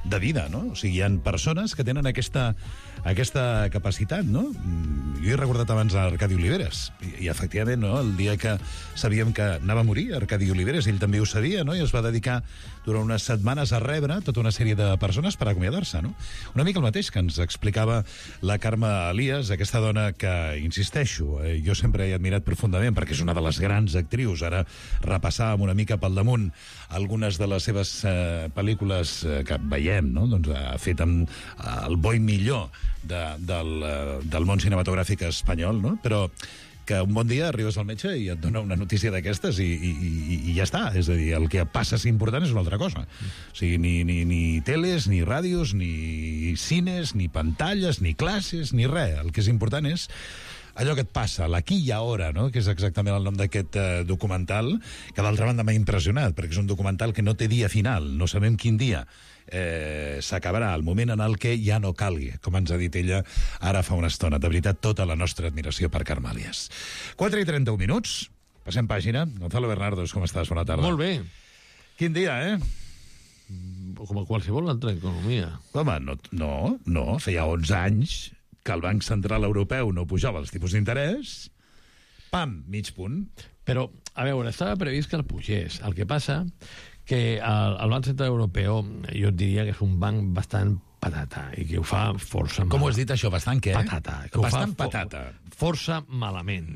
de vida, no? O sigui, hi ha persones que tenen aquesta, aquesta capacitat, no? Jo he recordat abans a Arcadi Oliveres, i, i efectivament, no? El dia que sabíem que anava a morir Arcadi Oliveres, ell també ho sabia, no? I es va dedicar durant unes setmanes a rebre tota una sèrie de persones per acomiadar-se, no? Una mica el mateix que ens explicava la Carme Elias, aquesta dona que, insisteixo, eh, jo sempre he admirat profundament, perquè és una de les grans actrius. Ara repassàvem una mica pel damunt algunes de les seves eh, pel·lícules eh, que veiem, no? Doncs ha fet amb eh, el bo i millor de, del, eh, del món cinematogràfic espanyol, no? Però que un bon dia arribes al metge i et dona una notícia d'aquestes i, i, i, i ja està. És a dir, el que passa si important és una altra cosa. O sigui, ni, ni, ni teles, ni ràdios, ni cines, ni pantalles, ni classes, ni res. El que és important és allò que et passa, l'aquí i ara, no? Que és exactament el nom d'aquest eh, documental, que d'altra banda m'ha impressionat, perquè és un documental que no té dia final, no sabem quin dia eh, s'acabarà, el moment en el que ja no calgui, com ens ha dit ella ara fa una estona. De veritat, tota la nostra admiració per Carme Elias. quatre i trenta-un minuts, passem pàgina. Gonzalo Bernardos, com estàs? Bona tarda. Molt bé. Quin dia, eh? Com a qualsevol altra economia. Home, no, no, no, feia onze anys que el Banc Central Europeu no pujava els tipus d'interès, pam, mig punt. Però, a veure, estava previst que el pugés. El que passa que el, el Banc Central Europeu, jo et diria que és un banc bastant patata, i que ho fa força mal. Com ho has dit, això? Bastant què? Patata. Que bastant ho fa patata. Força malament.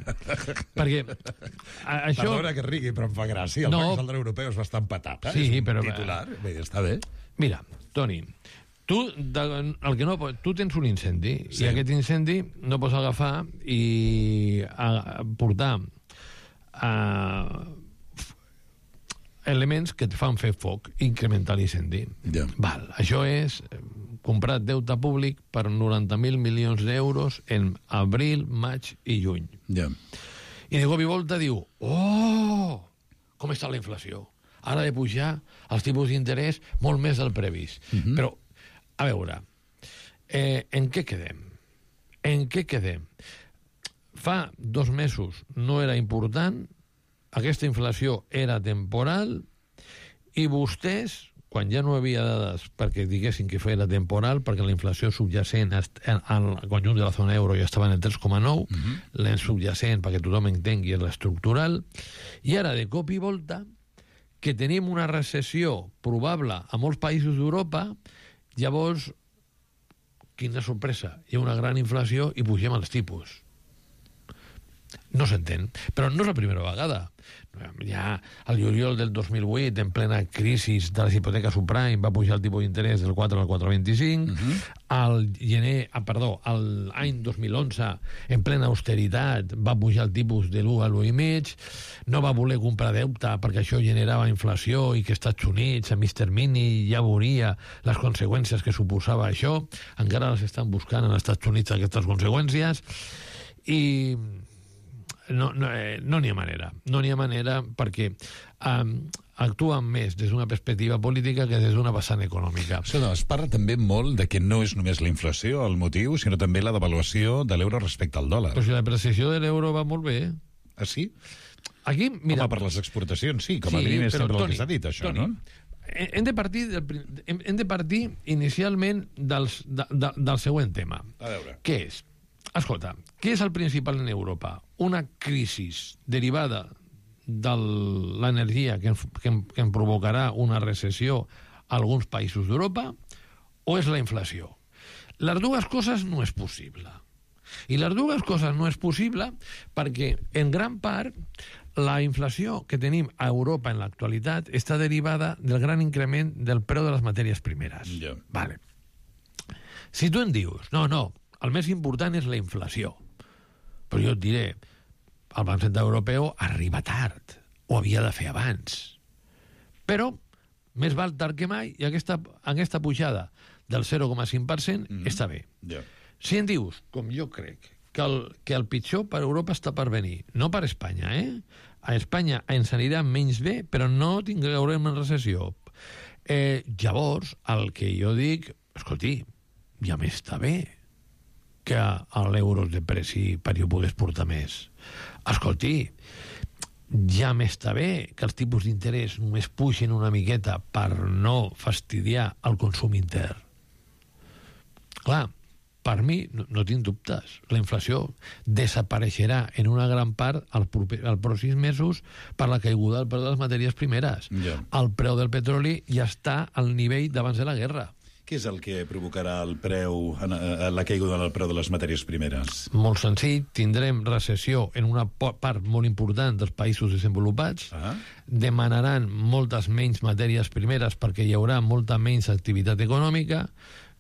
Perquè a, això... Perdona que rigui, però em fa gràcia. El no. Banc Central Europeu és bastant patata. Sí, és un però... titular. Bé, està bé. Mira, Toni, tu, de, el que no, tu tens un incendi, sí. I aquest incendi no pots agafar i a, a portar a, elements que et fan fer foc, incrementar l'incendi. Ja. Val, això és comprar deute públic per noranta mil milions d'euros en abril, maig i juny. Ja. I de cop i volta diu, oh, com està la inflació? Ara de pujar els tipus d'interès molt més del previst. Uh-huh. Però, a veure, eh, en què quedem? En què quedem? Fa dos mesos no era important, aquesta inflació era temporal, i vostès, quan ja no hi havia dades perquè diguessin que era temporal, perquè la inflació subjacent al conjunt de la zona euro ja estava en el tres coma nou, uh-huh. La subjacent, perquè tothom entengui, és l'estructural, i ara, de cop i volta, que tenim una recessió probable a molts països d'Europa, llavors, quina sorpresa, hi ha una gran inflació i pugem els tipus. No s'entén, però no és la primera vegada. Ja al juliol del dos mil vuit, en plena crisi de les hipoteques subprime, va pujar el tipus d'interès del quatre al quatre coma vint-i-cinc. Uh-huh. Al gener, ah, perdó, al any dos mil onze, en plena austeritat, va pujar el tipus de l'u a l'u i mig. No va voler comprar deute perquè això generava inflació i que als Estats Units, a mig termini, ja veuria les conseqüències que suposava això. Encara les estan buscant als Estats Units aquestes conseqüències. I no no eh, no n'hi ha manera. No n'hi ha manera perquè um, actuen més des d'una perspectiva política que des d'una vessant econòmica. Sí, no, es parla també molt de que no és només la inflació el motiu, sinó també la devaluació de l'euro respecte al dòlar. Però si la depreciació de l'euro va molt bé. Ah, sí? Aquí, mira... Home, per les exportacions, sí, com a sí, mínim és sempre Toni, el que s'ha dit, això, Toni, no? Hem de partir, del, hem de partir inicialment dels, de, de, del següent tema. A veure. Què és? Escolta, què és el principal en Europa? Una crisi derivada de l'energia que, que, que en provocarà una recessió a alguns països d'Europa, o és la inflació? les dues coses no és possible. I les dues coses no és possible perquè, en gran part, la inflació que tenim a Europa en l'actualitat està derivada del gran increment del preu de les matèries primeres. Yeah. Vale. Si tu em dius, no, no, el més important és la inflació, però jo et diré, el Banc Central Europeu arriba tard, ho havia de fer abans. Però, més val tard que mai, i aquesta, aquesta pujada del zero coma cinc per cent mm-hmm. està bé. Yeah. Si em dius, com jo crec, que el, que el pitjor per Europa està per venir, no per Espanya, eh? A Espanya ens anirà menys bé, però no tindrem una recessió. Eh, llavors, el que jo dic, escolti, ja m'està bé que l'euro de preci per jo pogués portar més. Escolti, ja m'està bé que els tipus d'interès només puixin una miqueta per no fastidiar el consum intern. Clar, per mi, no, no tinc dubtes, la inflació desapareixerà en una gran part als pròxims mesos per la caiguda del preu de les matèries primeres. Yeah. El preu del petroli ja està al nivell d'abans de la guerra. Què és el que provocarà el preu, la caiguda del preu de les matèries primeres? Molt senzill, tindrem recessió en una part molt important dels països desenvolupats, ah. demanaran moltes menys matèries primeres perquè hi haurà molta menys activitat econòmica,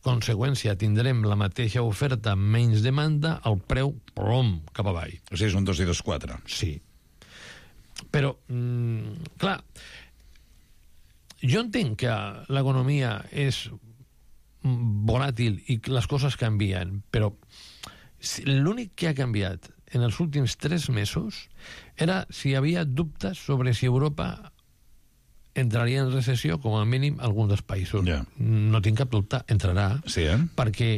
conseqüència, tindrem la mateixa oferta, menys demanda, el preu, plom, cap avall. O sigui, és un dos i dos, quatre. Sí. Però, mm, clar, jo entenc que l'economia és volàtil i les coses canvien, però l'únic que ha canviat en els últims tres mesos era si hi havia dubtes sobre si Europa entraria en recessió, com a mínim alguns dels països. Yeah. No tinc cap dubte, entrarà, sí, eh? perquè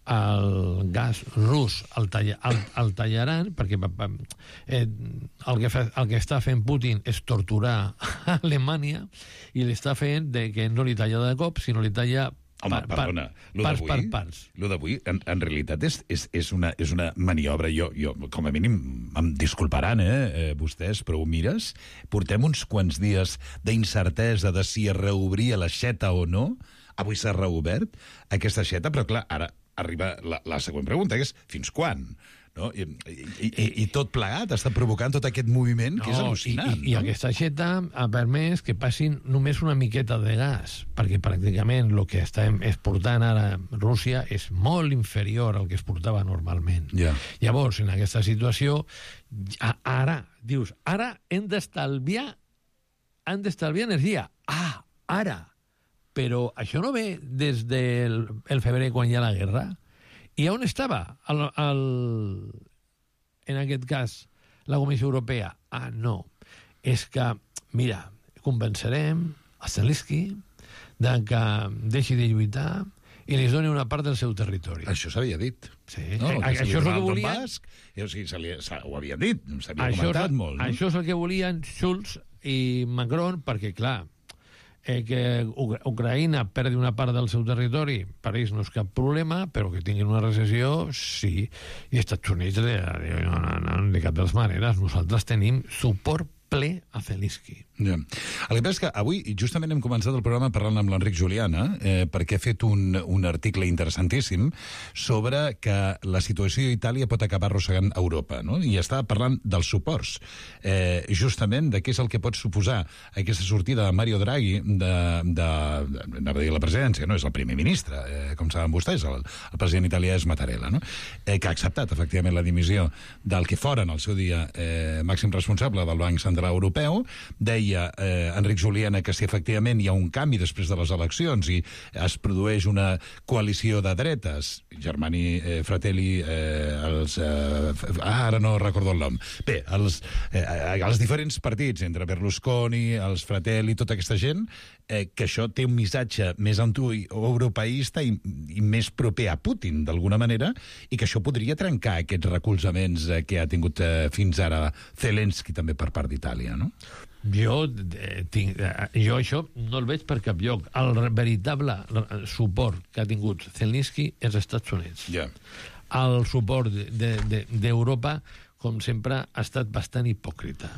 el gas rus el, talla, el, el tallaran, perquè eh, el, que fa, el que està fent Putin és torturar a Alemanya i l'està fent de que no li talla de cop, sinó li talla Home, par, perdona, lo parts d'avui, per parts. Lo d'avui, en, en realitat, és, és, és, una, és una maniobra. Jo, jo, com a mínim, em disculparan, eh, eh, vostès, però ho mires, portem uns quants dies d'incertesa de si es reobria l'aixeta o no. Avui s'ha reobert aquesta aixeta, però clar, ara arriba la, la següent pregunta, que és fins quan? No? I, i, i, I tot plegat està provocant tot aquest moviment, no, que és al·lucinant. I, i, no? I aquesta aixeta ha permès que passin només una miqueta de gas, perquè pràcticament el que està exportant ara Rússia és molt inferior al que exportava normalment. Yeah. Llavors, en aquesta situació, ara, dius, ara hem d'estalviar han d'estalviar energia. Ah, ara! Però això no ve des del el febrer, quan hi ha la guerra. I on estava, el, el, en aquest cas, la Comissió Europea? Ah, no. És que, mira, convencerem a Zelensky de que deixi de lluitar i li doni una part del seu territori. Això s'havia dit. Sí. No, a, això és el que volien... Basc, o sigui, se li, se, ho havia dit, s'havia això comentat és, molt. No? Això és el que volien Schulz i Macron, perquè, clar, eh, que Ucraïna perdi una part del seu territori, per ells no és cap problema, però que tinguin una recessió, sí. I als Estats Units, de, de, no, no, de cap de les maneres, nosaltres tenim suport ple a Zelensky. Ja. El que passa és que avui justament hem començat el programa parlant amb l'Enric Juliana eh, perquè ha fet un, un article interessantíssim sobre que la situació d'Itàlia pot acabar arrossegant Europa, no? I està parlant dels suports, eh, justament de què és el que pot suposar aquesta sortida de Mario Draghi de, de, de, de la presidència, no? És el primer ministre, eh, com saben vostès, el, el president italià és Mattarella, no? Eh, que ha acceptat efectivament la dimissió del que foren al seu dia eh, màxim responsable del Banc Central Europeu. Deia Eh, Enric Juliana que si efectivament hi ha un canvi després de les eleccions i es produeix una coalició de dretes, Germani eh, Fratelli, eh, els, eh, ah, ara no recordo el nom, bé, els, eh, els diferents partits entre Berlusconi, els Fratelli, tota aquesta gent, eh, que això té un missatge més anti-europeista i, i més proper a Putin, d'alguna manera, i que això podria trencar aquests recolzaments eh, que ha tingut eh, fins ara Zelensky també per part d'Itàlia, no? Jo, eh, tinc, eh, jo això no el veig per cap lloc. El veritable suport que ha tingut Zelensky és als Estats Units. Yeah. El suport d'Europa, de, de, com sempre, ha estat bastant hipòcrita.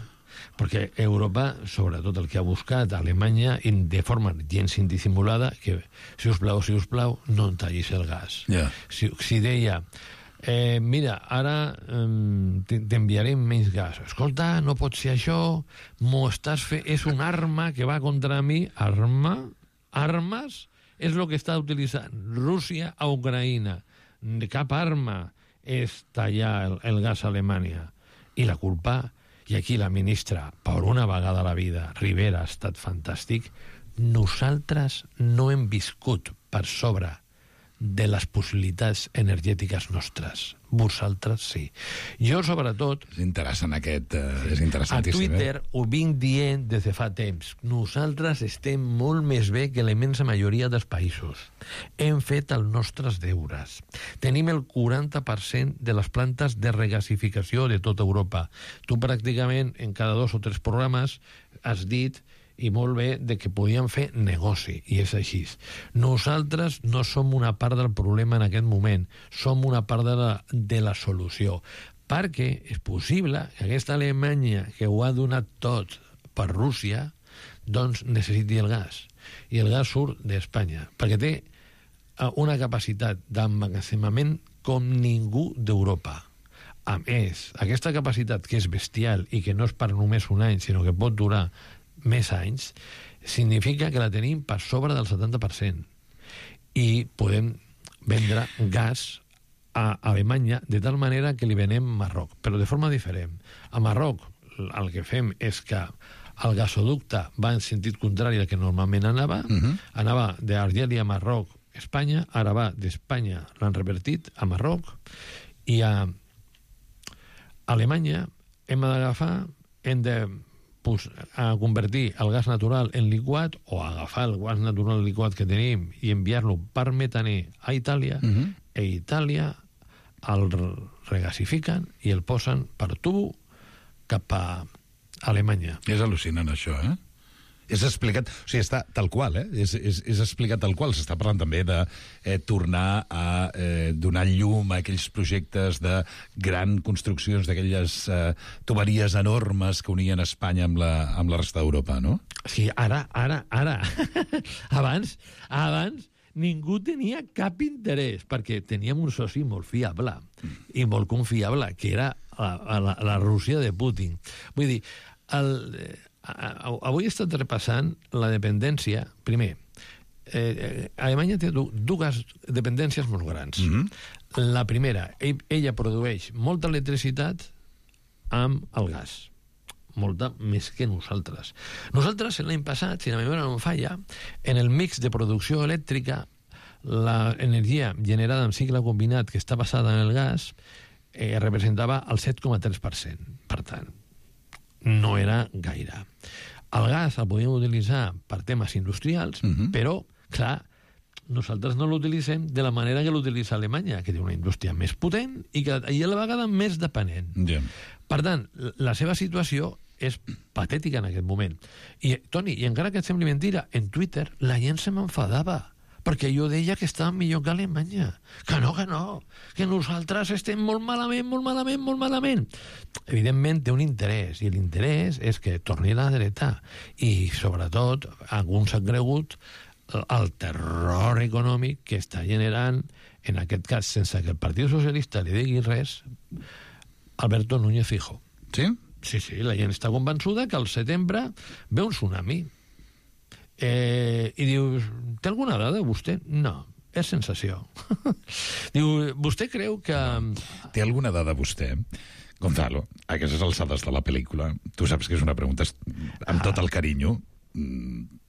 perquè Europa, sobretot el que ha buscat Alemanya, de forma gens indissimulada, que, si us plau, si us plau, no en tallis el gas. Yeah. Si, si deia, eh, mira, ara eh, t'enviarem menys gas. Escolta, no pot ser això, m'ho estàs fent, és una arma que va contra mi. Arma? Armes? És el que està utilitzant Rússia a Ucraïna. Cap arma és tallar el, el gas a Alemanya. I la culpa, i aquí la ministra, per una vegada a la vida, Rivera, ha estat fantàstic, nosaltres no hem viscut per sobre de les possibilitats energètiques nostres. Vosaltres sí. Jo, sobretot... És interessant aquest... Uh, és interessantíssim. A Twitter eh? ho vinc dient des de fa temps. Nosaltres estem molt més bé que la immensa majoria dels països. Hem fet els nostres deures. Tenim el quaranta per cent de les plantes de regasificació de tota Europa. Tu pràcticament en cada dos o tres programes has dit, i molt bé, de que podíem fer negoci, i és així. Nosaltres no som una part del problema en aquest moment, som una part de la, de la solució, perquè és possible que aquesta Alemanya que ho ha donat tot per Rússia, doncs necessiti el gas. I el gas surt d'Espanya, perquè té una capacitat d'emmagatzemament com ningú d'Europa. A més, aquesta capacitat, que és bestial i que no és per només un any, sinó que pot durar més anys, significa que la tenim per sobre del setanta per cent. I podem vendre gas a Alemanya de tal manera que li venem a Marroc, però de forma diferent. A Marroc el que fem és que el gasoducte va en sentit contrari al que normalment anava, uh-huh. anava d'Argèlia a Marroc, Espanya, ara va d'Espanya, l'han revertit a Marroc, i a Alemanya hem d'agafar, hem de pues, a convertir el gas natural en liquat o agafar el gas natural liquat que tenim i enviar-lo per metaner a Itàlia, uh-huh. e Itàlia el regasifiquen i el posen per tubo cap a Alemanya. És al·lucinant això, eh? És explicat, o sigui, està tal qual, eh? És, és, és explicat tal qual. S'està parlant també de eh, tornar a eh, donar llum a aquells projectes de gran construccions d'aquelles eh, tuberies enormes que unien Espanya amb la, amb la resta d'Europa, no? Sí, ara, ara, ara. abans, abans ningú tenia cap interès, perquè teníem un soci molt fiable mm. i molt confiable, que era la, la, la Rússia de Putin. Vull dir, el... avui he estat repassant la dependència. Primer, eh, Alemanya té dues dependències molt grans. Mm-hmm. La primera, ell, ella produeix molta electricitat amb el gas, molta més que nosaltres. Nosaltres, l'any passat, si la memòria no em falla, en el mix de producció elèctrica, l'energia generada en cicle combinat que està basada en el gas eh, representava el set coma tres per cent. Per tant, no era gaire. El gas el podíem utilitzar per temes industrials, uh-huh. però, clar, nosaltres no l'utilitzem de la manera que l'utilitza Alemanya, que té una indústria més potent i, que, i a la vegada més dependent. Yeah. Per tant, la seva situació és patètica en aquest moment. I, Toni, i encara que et sembli mentira, en Twitter la gent se m'enfadava, perquè jo deia que estava millor que Alemanya. Que no, que no, que nosaltres estem molt malament, molt malament, molt malament. Evidentment té un interès, i l'interès és que torni a la dreta. I, sobretot, alguns han cregut el terror econòmic que està generant, en aquest cas, sense que el Partit Socialista li digui res, Alberto Núñez Fijo. Sí? Sí, sí, la gent està convençuda que al setembre ve un tsunami. Eh, I dius, té alguna dada vostè? No, és sensació. Diu, vostè creu que... Té alguna dada vostè? Gonzalo, a aquestes alçades de la pel·lícula, tu saps que és una pregunta amb tot el carinyo,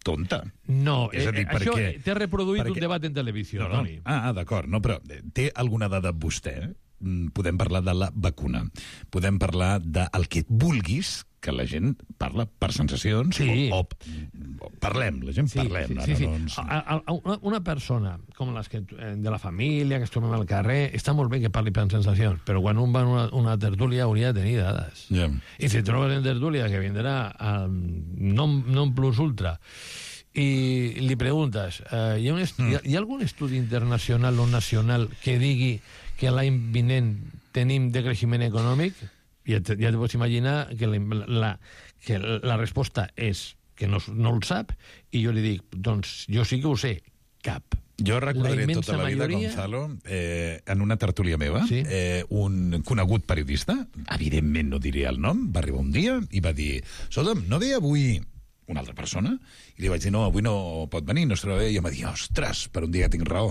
tonta. No, és a dir, eh, això perquè, t'he reproduït perquè... un debat en televisió, no, no. Toni. Ah, d'acord, no, però té alguna dada vostè? Podem parlar de la vacuna, podem parlar del que vulguis, que la gent parla per sensacions, sí. o, o, o parlem, la gent sí, parlem. Sí, sí, sí. Doncs... A, a, a una persona com les que, de la família, que es trobem al carrer, està molt bé que parli per sensacions, però quan un va a una, una tertúlia hauria de tenir dades. Yeah. I si trobes en tertúlia que vindrà al non, non plus ultra i li preguntes, eh, hi, ha un estu- mm. hi, ha, hi ha algun estudi internacional o nacional que digui que l'any vinent tenim decreixement econòmic? ja te, ja te pots imaginar que la, la, que la resposta és que no, no el sap, i jo li dic, doncs jo sí que ho sé, cap. Jo recordaré la tota la vida, majoria... Gonzalo, eh, en una tertúlia meva, sí? eh, un conegut periodista, evidentment no diré el nom, va arribar un dia i va dir, escolta'm, no ve avui una altra persona? I li vaig dir, no, avui no pot venir, no es troba bé. I em va dir, ostres, per un dia tinc raó.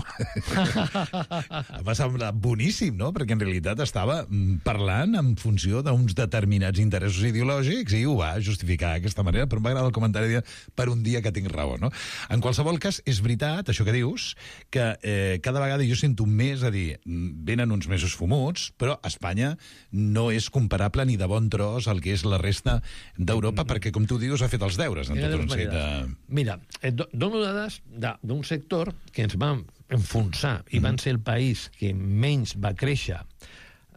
Em va semblar boníssim, no? Perquè en realitat estava parlant en funció d'uns determinats interessos ideològics i ho va justificar d'aquesta manera, però m'agrada el comentari de per un dia que tinc raó, no? En qualsevol cas, és veritat, això que dius, que eh, cada vegada jo sento més a dir, venen uns mesos fumuts, però Espanya no és comparable ni de bon tros al que és la resta d'Europa, perquè, com tu dius, ha fet els deures en tot un seguit de... Mira, et dono dades d'un sector que ens va enfonsar i van ser el país que menys va créixer,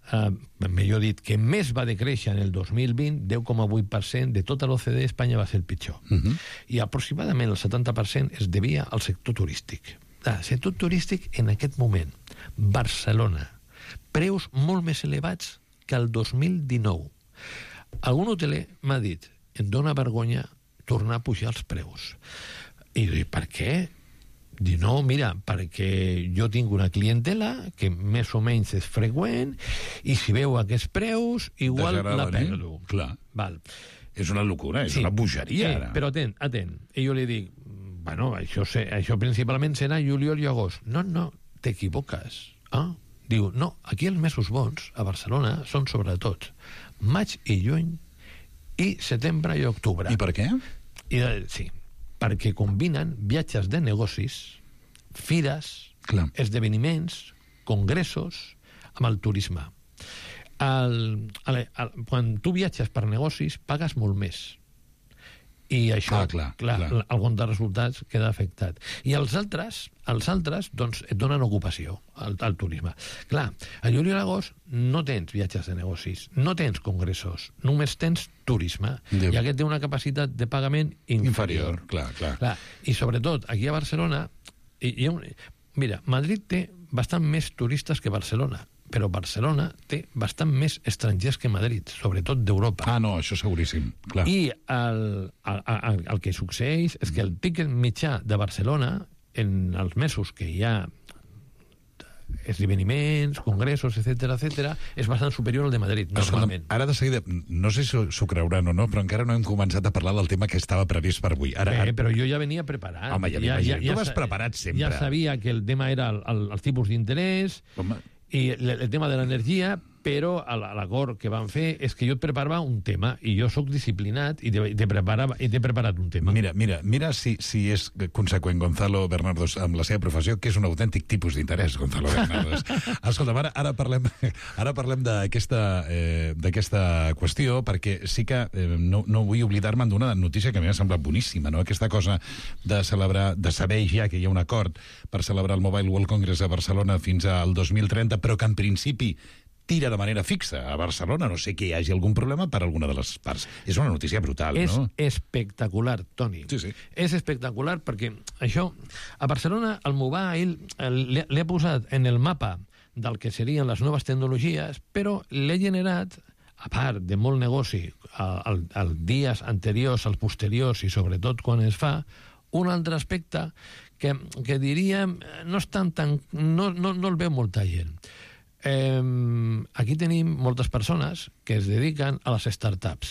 eh, millor dit, que més va decréixer en el dos mil vint, deu coma vuit per cent de tota l'O C D, Espanya va ser el pitjor. Uh -huh. I aproximadament el setanta per cent es devia al sector turístic. El sector turístic en aquest moment, Barcelona, preus molt més elevats que el dos mil dinou. Algun hoteler m'ha dit, em dóna vergonya tornar a pujar els preus. I dic, per què? Dic, no, mira, perquè jo tinc una clientela que més o menys és freqüent i si veu aquests preus, igual la perdo. Clar. Val. És una locura, és sí. una bogeria. Sí, però atent, atent. I jo li dic, bueno, això, sé, això principalment serà juliol i agost. No, no, t'equivoques. Ah? Diu, no, aquí els mesos bons a Barcelona són sobretot maig i juny i setembre i octubre. I per què? I, sí, perquè combinen viatges de negocis, fires, Clar. esdeveniments, congressos, amb el turisme. El, el, el, quan tu viatges per negocis, pagues molt més. I això, ah, clar, clar, clar. el compte de resultats queda afectat. I els altres, els altres doncs, et donen ocupació al, al turisme. Clar, a juliol i l'agost no tens viatges de negocis, no tens congressos, només tens turisme. Déu. I aquest té una capacitat de pagament inferior. Inferior, clar, clar. clar. I sobretot, aquí a Barcelona, hi, hi ha un... mira, Madrid té bastant més turistes que Barcelona, però Barcelona té bastant més estrangers que Madrid, sobretot d'Europa. Ah, no, això seguríssim, clar. I el, el, el, el que succeeix és que el tiquet mitjà de Barcelona, en els mesos que hi ha esdeveniments, congressos, etcètera, etcètera, és bastant superior al de Madrid, normalment. Ara de seguida, no sé si s'ho creuran o no, però encara no hem començat a parlar del tema que estava previst per avui. Ara, Bé, ara... però jo ja venia preparat. Home, ja m'imagino. Ja, ja, tu vas preparat sempre. Ja sabia que el tema era el, el, els tipus d'interès, Home. i el, el tema de l'energia, però l'acord que van fer és que jo et preparava un tema i jo sóc disciplinat i t'he preparat, preparat un tema. Mira, mira, mira si, si és conseqüent Gonzalo Bernardos amb la seva professió, que és un autèntic tipus d'interès, Gonzalo Bernardos. Escolta, ara, ara parlem, ara parlem d'aquesta eh, d'aquesta qüestió, perquè sí que eh, no, no vull oblidar-me d'una notícia que a mi m'ha semblat boníssima, no? Aquesta cosa de celebrar, de saber ja que hi ha un acord per celebrar el Mobile World Congress a Barcelona fins al dos mil trenta, però que en principi tira de manera fixa a Barcelona, no sé que hi hagi algun problema per alguna de les parts. És una notícia brutal, és no? És espectacular, Toni. Sí, sí. És espectacular perquè això, a Barcelona, el mobile l'he posat en el mapa del que serien les noves tecnologies, però l'he generat, a part de molt negoci, als dies anteriors, als posteriors i sobretot quan es fa, un altre aspecte que, que diríem no, estan tan, no, no, no el veu molta gent. Eh, aquí tenim moltes persones que es dediquen a les startups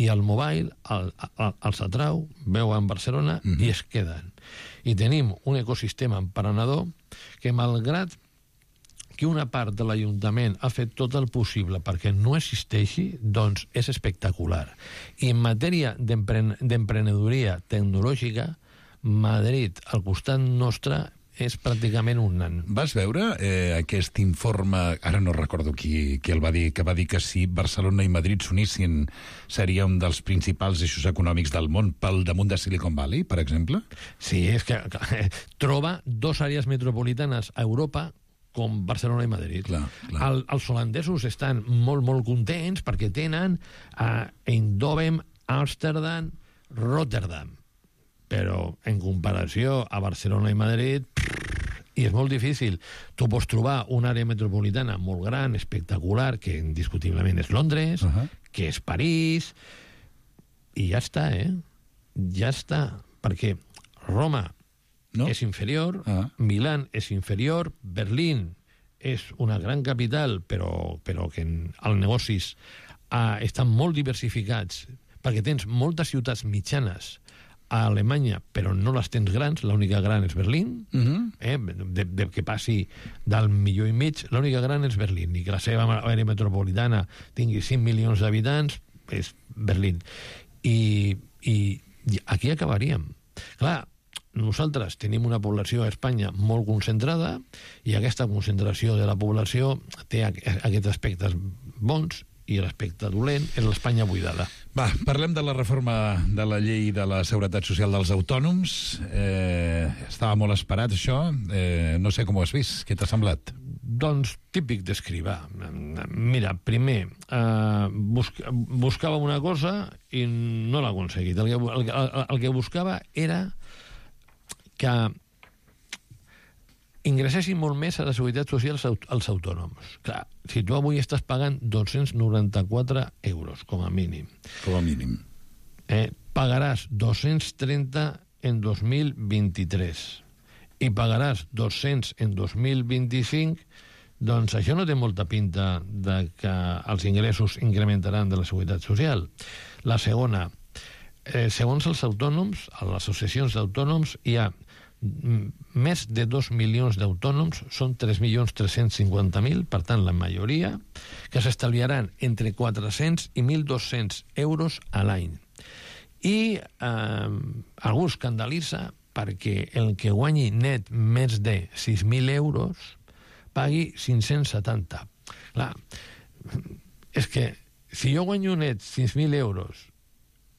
i el mobile el, el, els atrau, veuen Barcelona mm-hmm. i es queden. I tenim un ecosistema emprenedor que, malgrat que una part de l'Ajuntament ha fet tot el possible perquè no existeixi, doncs és espectacular. I en matèria d'emprenedoria tecnològica, Madrid, al costat nostre, és pràcticament un nan. Vas veure eh, aquest informe, ara no recordo qui, qui el va dir, que va dir que si Barcelona i Madrid s'unissin seria un dels principals eixos econòmics del món pel damunt de Silicon Valley, per exemple? Sí, és que troba dos àrees metropolitanes a Europa com Barcelona i Madrid. Clar, clar. El, els holandesos estan molt, molt contents perquè tenen a Eindhoven, Amsterdam, Rotterdam. Però en comparació a Barcelona i Madrid, I és molt difícil. Tu pots trobar una àrea metropolitana molt gran, espectacular, que indiscutiblement és Londres, uh -huh. que és París, i ja està, eh? Ja està. Perquè Roma no? és inferior, uh -huh. Milán és inferior, Berlín és una gran capital, però, però que en, els negocis uh, estan molt diversificats, perquè tens moltes ciutats mitjanes a Alemanya, però no les tens grans, l'única gran és Berlín, uh -huh. eh? de, de que passi del milió i mig, l'única gran és Berlín, i que la seva àrea metropolitana tingui cinc milions d'habitants, és Berlín. I, i aquí acabaríem. Clar, nosaltres tenim una població a Espanya molt concentrada, i aquesta concentració de la població té aquests aspectes bons, i l'aspecte dolent és l'Espanya buidada. Va, parlem de la reforma de la llei de la Seguretat Social dels autònoms. Eh, estava molt esperat, això. Eh, no sé com ho has vist. Què t'ha semblat? Doncs típic d'escrivar. Mira, primer, eh, busca, buscava una cosa i no l'ha aconseguit. El que, el, el, el que buscava era que ingressessin molt més a la Seguretat Social als autònoms. Clar, si tu avui estàs pagant dos-cents noranta-quatre euros, com a mínim. Com a mínim. Eh, pagaràs dos-cents trenta en dos mil vint-i-tres i pagaràs dos-cents en dos mil vint-i-cinc, doncs això no té molta pinta de que els ingressos incrementaran de la Seguretat Social. La segona, eh, segons els autònoms, a les associacions d'autònoms, hi ha més de dos milions d'autònoms, són tres milions tres-cents cinquanta mil, per tant, la majoria, que s'estalviaran entre quatre-cents i mil dos-cents euros a l'any. I eh, algú escandalitza perquè el que guanyi net més de sis mil euros pagui cinc-cents setanta. Clar, és que si jo guanyo net sis mil euros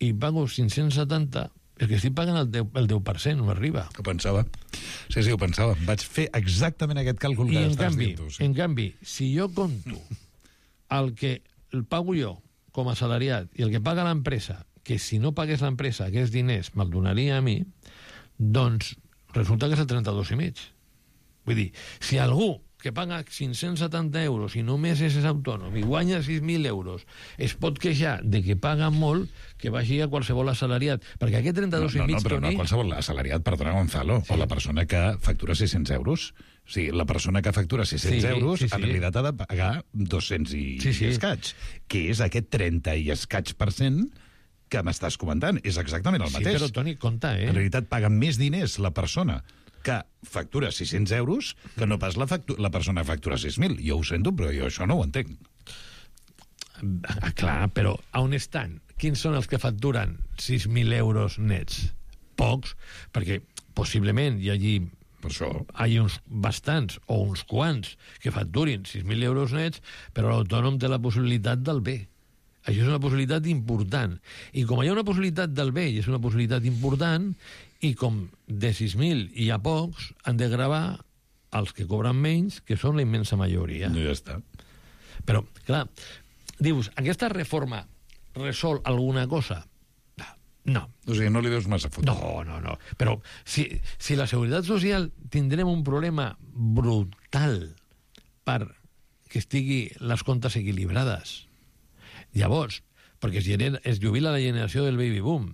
i pago cinc-cents setanta, és que estic pagant el deu, el deu per cent, no arriba. Ho pensava. Sí, sí, ho pensava. Vaig fer exactament aquest càlcul que I estàs canvi, dient tu. Sí. En canvi, si jo compto el que el pago jo com a assalariat i el que paga l'empresa, que si no pagués l'empresa aquests diners me'l donaria a mi, doncs resulta que és el trenta-dos i mig. Vull dir, si algú que paga cinc-cents setanta euros i només és autònom i guanya sis mil euros es pot queixar de que paga molt, que vagi a qualsevol assalariat, perquè aquest trenta-dos no, no, i mig... No, però Toni... no qualsevol assalariat, perdona, Gonzalo, sí. O la persona que factura sis-cents euros. O sigui, la persona que factura sis-cents sí, euros sí, sí. en realitat ha de pagar dos-cents i, sí, sí. i escaig, que és aquest trenta i escaig per cent que m'estàs comentant. És exactament el mateix. Sí, però, Toni, compte, eh? En realitat paga més diners la persona que factura sis-cents euros que no pas la, la persona que factura sis mil. Jo ho sento, però jo això no ho entenc. Ah, clar, però on estan? Quins són els que facturen sis mil euros nets? Pocs, perquè possiblement hi hagi, per això, hi ha uns bastants o uns quants que facturin sis mil euros nets, però l'autònom té la possibilitat del bé. Això és una possibilitat important. I com hi ha una possibilitat del bé i és una possibilitat important, i com de sis mil hi ha pocs, han de gravar els que cobren menys, que són la immensa majoria. No, ja està. Però, clar, dius, aquesta reforma resol alguna cosa? No. O sigui, no li deus massa foto. No, no, no. Però si, si la Seguretat Social tindrem un problema brutal per que estigui les comptes equilibrades. Llavors, perquè es, genera, es jubila la generació del baby boom,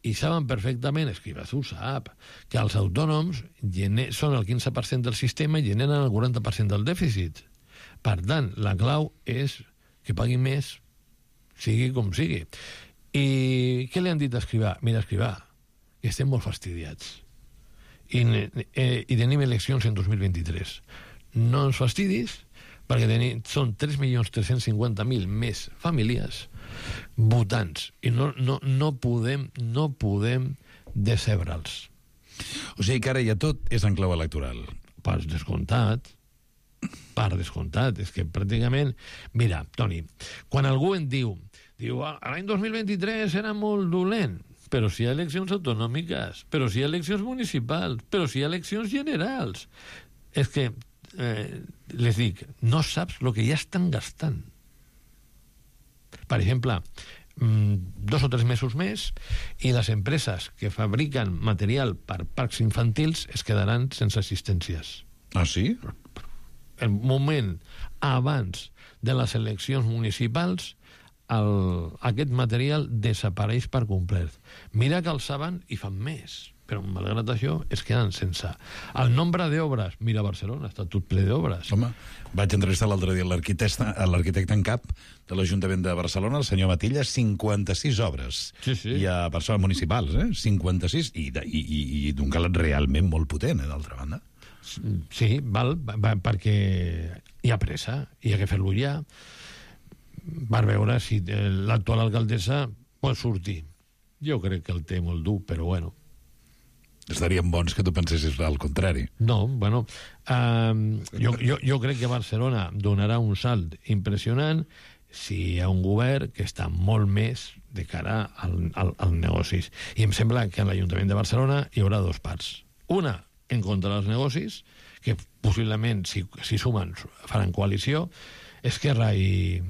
i saben perfectament, Escrivazú sap, que els autònoms gener, són el quinze per cent del sistema i generen el quaranta per cent del dèficit. Per tant, la clau és que pagui més, sigui com sigui. I què li han dit a Escrivà? Mira, Escrivà, que estem molt fastidiats. I, eh, i tenim eleccions en dos mil vint-i-tres. No ens fastidis, perquè tenim, són tres milions tres-cents cinquanta mil més famílies votants, i no, no, no podem no podem decebre'ls. O sigui que ara ja tot és en clau electoral. Per descomptat, per descomptat, és que pràcticament... Mira, Toni, quan algú en diu, diu, l'any dos mil vint-i-tres era molt dolent, però si hi ha eleccions autonòmiques, però si hi ha eleccions municipals, però si hi ha eleccions generals, és que eh, les dic, no saps el que ja estan gastant. Per exemple, dos o tres mesos més i les empreses que fabriquen material per parcs infantils es quedaran sense assistències. Ah, sí? El moment abans de les eleccions municipals, el, aquest material desapareix per complet. Mira que el saben i fan més, però malgrat això es queden sense. El nombre d'obres, mira Barcelona, està tot ple d'obres. Home, vaig entrevistar l'altre dia l'arquitecte en cap de l'Ajuntament de Barcelona, el senyor Matilla, cinquanta-sis obres. Sí, sí. I a persones municipals, eh? cinquanta-sis, i, i, i, i d'un calat realment molt potent, eh, d'altra banda. Sí, val, va, perquè hi ha pressa, hi ha que fer-lo ja, per veure si l'actual alcaldessa pot sortir. Jo crec que el té molt dur, però bueno. Estarien bons que tu pensessis al contrari. No, bueno, um, jo, jo, jo crec que Barcelona donarà un salt impressionant si hi ha un govern que està molt més de cara al, al, al negocis. I em sembla que en l'Ajuntament de Barcelona hi haurà dos parts. Una, en contra dels negocis, que possiblement, si, si sumen, faran coalició. Esquerra i...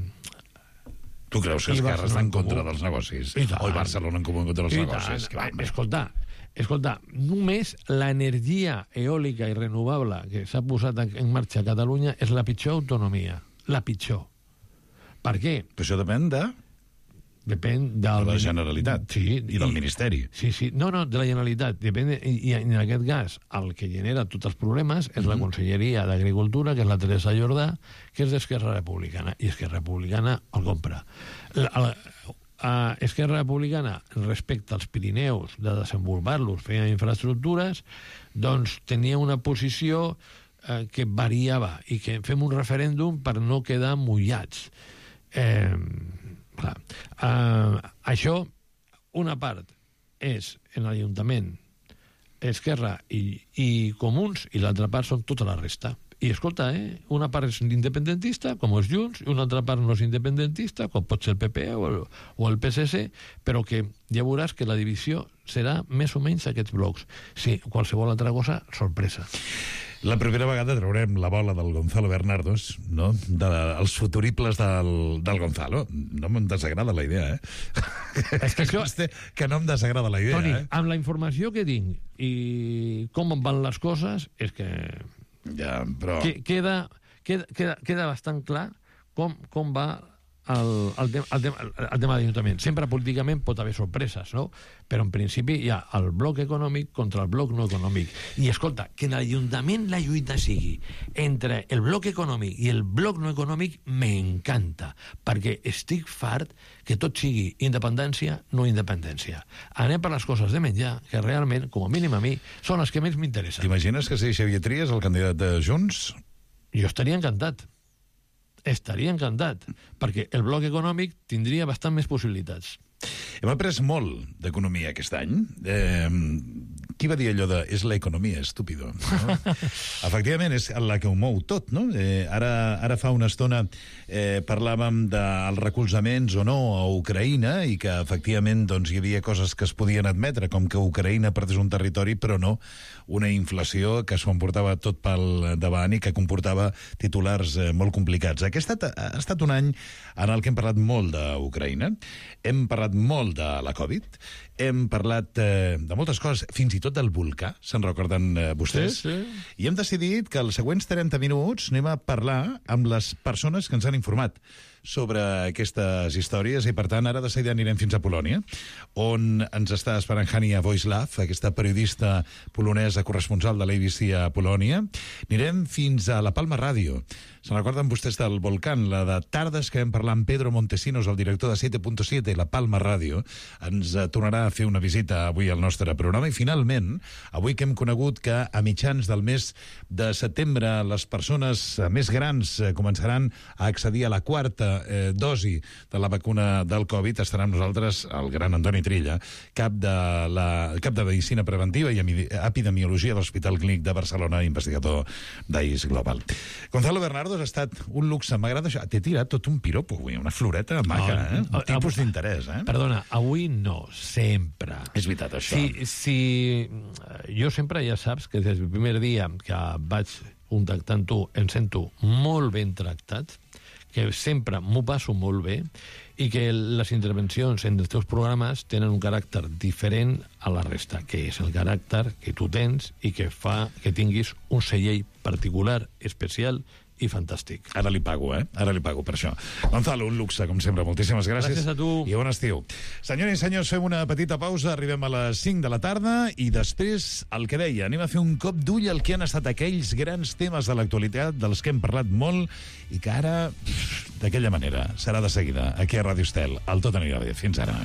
Tu creus que Esquerra està en contra dels negocis? O Barcelona en comú en contra dels negocis? Va, escolta, escolta, només l'energia eòlica i renovable que s'ha posat en marxa a Catalunya és la pitjor autonomia. La pitjor. Per què? Però això depèn de... Depèn del... de la Generalitat, sí, i del i, Ministeri. Sí, sí, no, no, de la Generalitat. Depèn de, i, i en aquest cas, el que genera tots els problemes és mm-hmm. la Conselleria d'Agricultura, que és la Teresa Jordà, que és d'Esquerra Republicana, i Esquerra Republicana el compra. La, la, a Esquerra Republicana, respecte als Pirineus, de desenvolupar-los, feia infraestructures, doncs tenia una posició eh, que variava, i que fem un referèndum per no quedar mullats. Eh... Clar. Uh, això, una part és en l'Ajuntament Esquerra i, i Comuns, i l'altra part són tota la resta. I escolta, eh, una part és independentista, com és Junts, i una altra part no és independentista, com pot ser el P P o el, o el P S C, però que ja veuràs que la divisió serà més o menys aquests blocs. Sí, qualsevol altra cosa, sorpresa. La primera vegada traurem la bola del Gonzalo Bernardos, no? De, els futuribles del, del Gonzalo. No em desagrada la idea, eh? És que, això... que no em desagrada la idea, Toni, eh? amb la informació que tinc i com van les coses, és que... Ja, però... Queda, queda, queda, queda bastant clar com, com va el, el, tema, el, tema, el tema de l'Ajuntament. Sempre políticament pot haver sorpreses, no? Però en principi hi ha el bloc econòmic contra el bloc no econòmic. I escolta, que en l'Ajuntament la lluita sigui entre el bloc econòmic i el bloc no econòmic m'encanta, perquè estic fart que tot sigui independència, no independència. Anem per les coses de menjar, que realment, com a mínim a mi, són les que més m'interessen. T'imagines que sigui Xavier Trias el candidat de Junts? Jo estaria encantat. Estaria encantat, perquè el bloc econòmic tindria bastant més possibilitats. Hem après molt d'economia aquest any. Eh, qui va dir allò de és l'economia, estúpido? No? Efectivament, és la que ho mou tot, no? Eh, ara, ara fa una estona eh, parlàvem dels recolzaments o no a Ucraïna i que efectivament doncs, hi havia coses que es podien admetre, com que Ucraïna perdés un territori, però no una inflació que s'ho emportava tot pel davant i que comportava titulars eh, molt complicats. Aquest ha estat, ha estat un any en el que hem parlat molt d'Ucraïna, hem parlat molt de la Covid, hem parlat eh, de moltes coses, fins i tot del volcà, se'n recorden eh, vostès? Sí, sí. I hem decidit que els següents trenta minuts anem a parlar amb les persones que ens han informat sobre aquestes històries i, per tant, ara de seguida anirem fins a Polònia, on ens està esperant Hania Wojslaw, aquesta periodista polonesa corresponsal de l'A B C a Polònia. Anirem fins a la Palma Ràdio. Se'n recorden vostès del volcán, la de tardes que vam parlar amb Pedro Montesinos, el director de siete punto siete i la Palma Ràdio. Ens tornarà a fer una visita avui al nostre programa i, finalment, avui que hem conegut que a mitjans del mes de setembre les persones més grans començaran a accedir a la quarta eh, dosi de la vacuna del Covid, estarà amb nosaltres el gran Antoni Trilla, cap de, la, cap de Medicina Preventiva i Epidemiologia de l'Hospital Clínic de Barcelona, investigador d'A I S Global. Gonzalo Bernardo, ha estat un luxe, m'agrada això. T'he tirat tot un piropo avui, una floreta maca, eh? Un tipus d'interès, eh? Perdona, avui no, sempre. És veritat, això. Si, si... Jo sempre, ja saps, que des del primer dia que vaig contactar amb tu, em sento molt ben tractat, que sempre m'ho passo molt bé, i que les intervencions en els teus programes tenen un caràcter diferent a la resta, que és el caràcter que tu tens i que fa que tinguis un segell particular, especial i fantàstic. Ara li pago, eh? Ara li pago per això. Gonzalo, un luxe, com sempre. Moltíssimes gràcies. Gràcies a tu. I bon estiu. Senyores i senyors, fem una petita pausa, arribem a les cinc de la tarda i després, el que deia, anem a fer un cop d'ull al que han estat aquells grans temes de l'actualitat dels que hem parlat molt i que ara, d'aquella manera, serà de seguida, aquí a Ràdio Estel. El Tot anirà bé. Fins ara.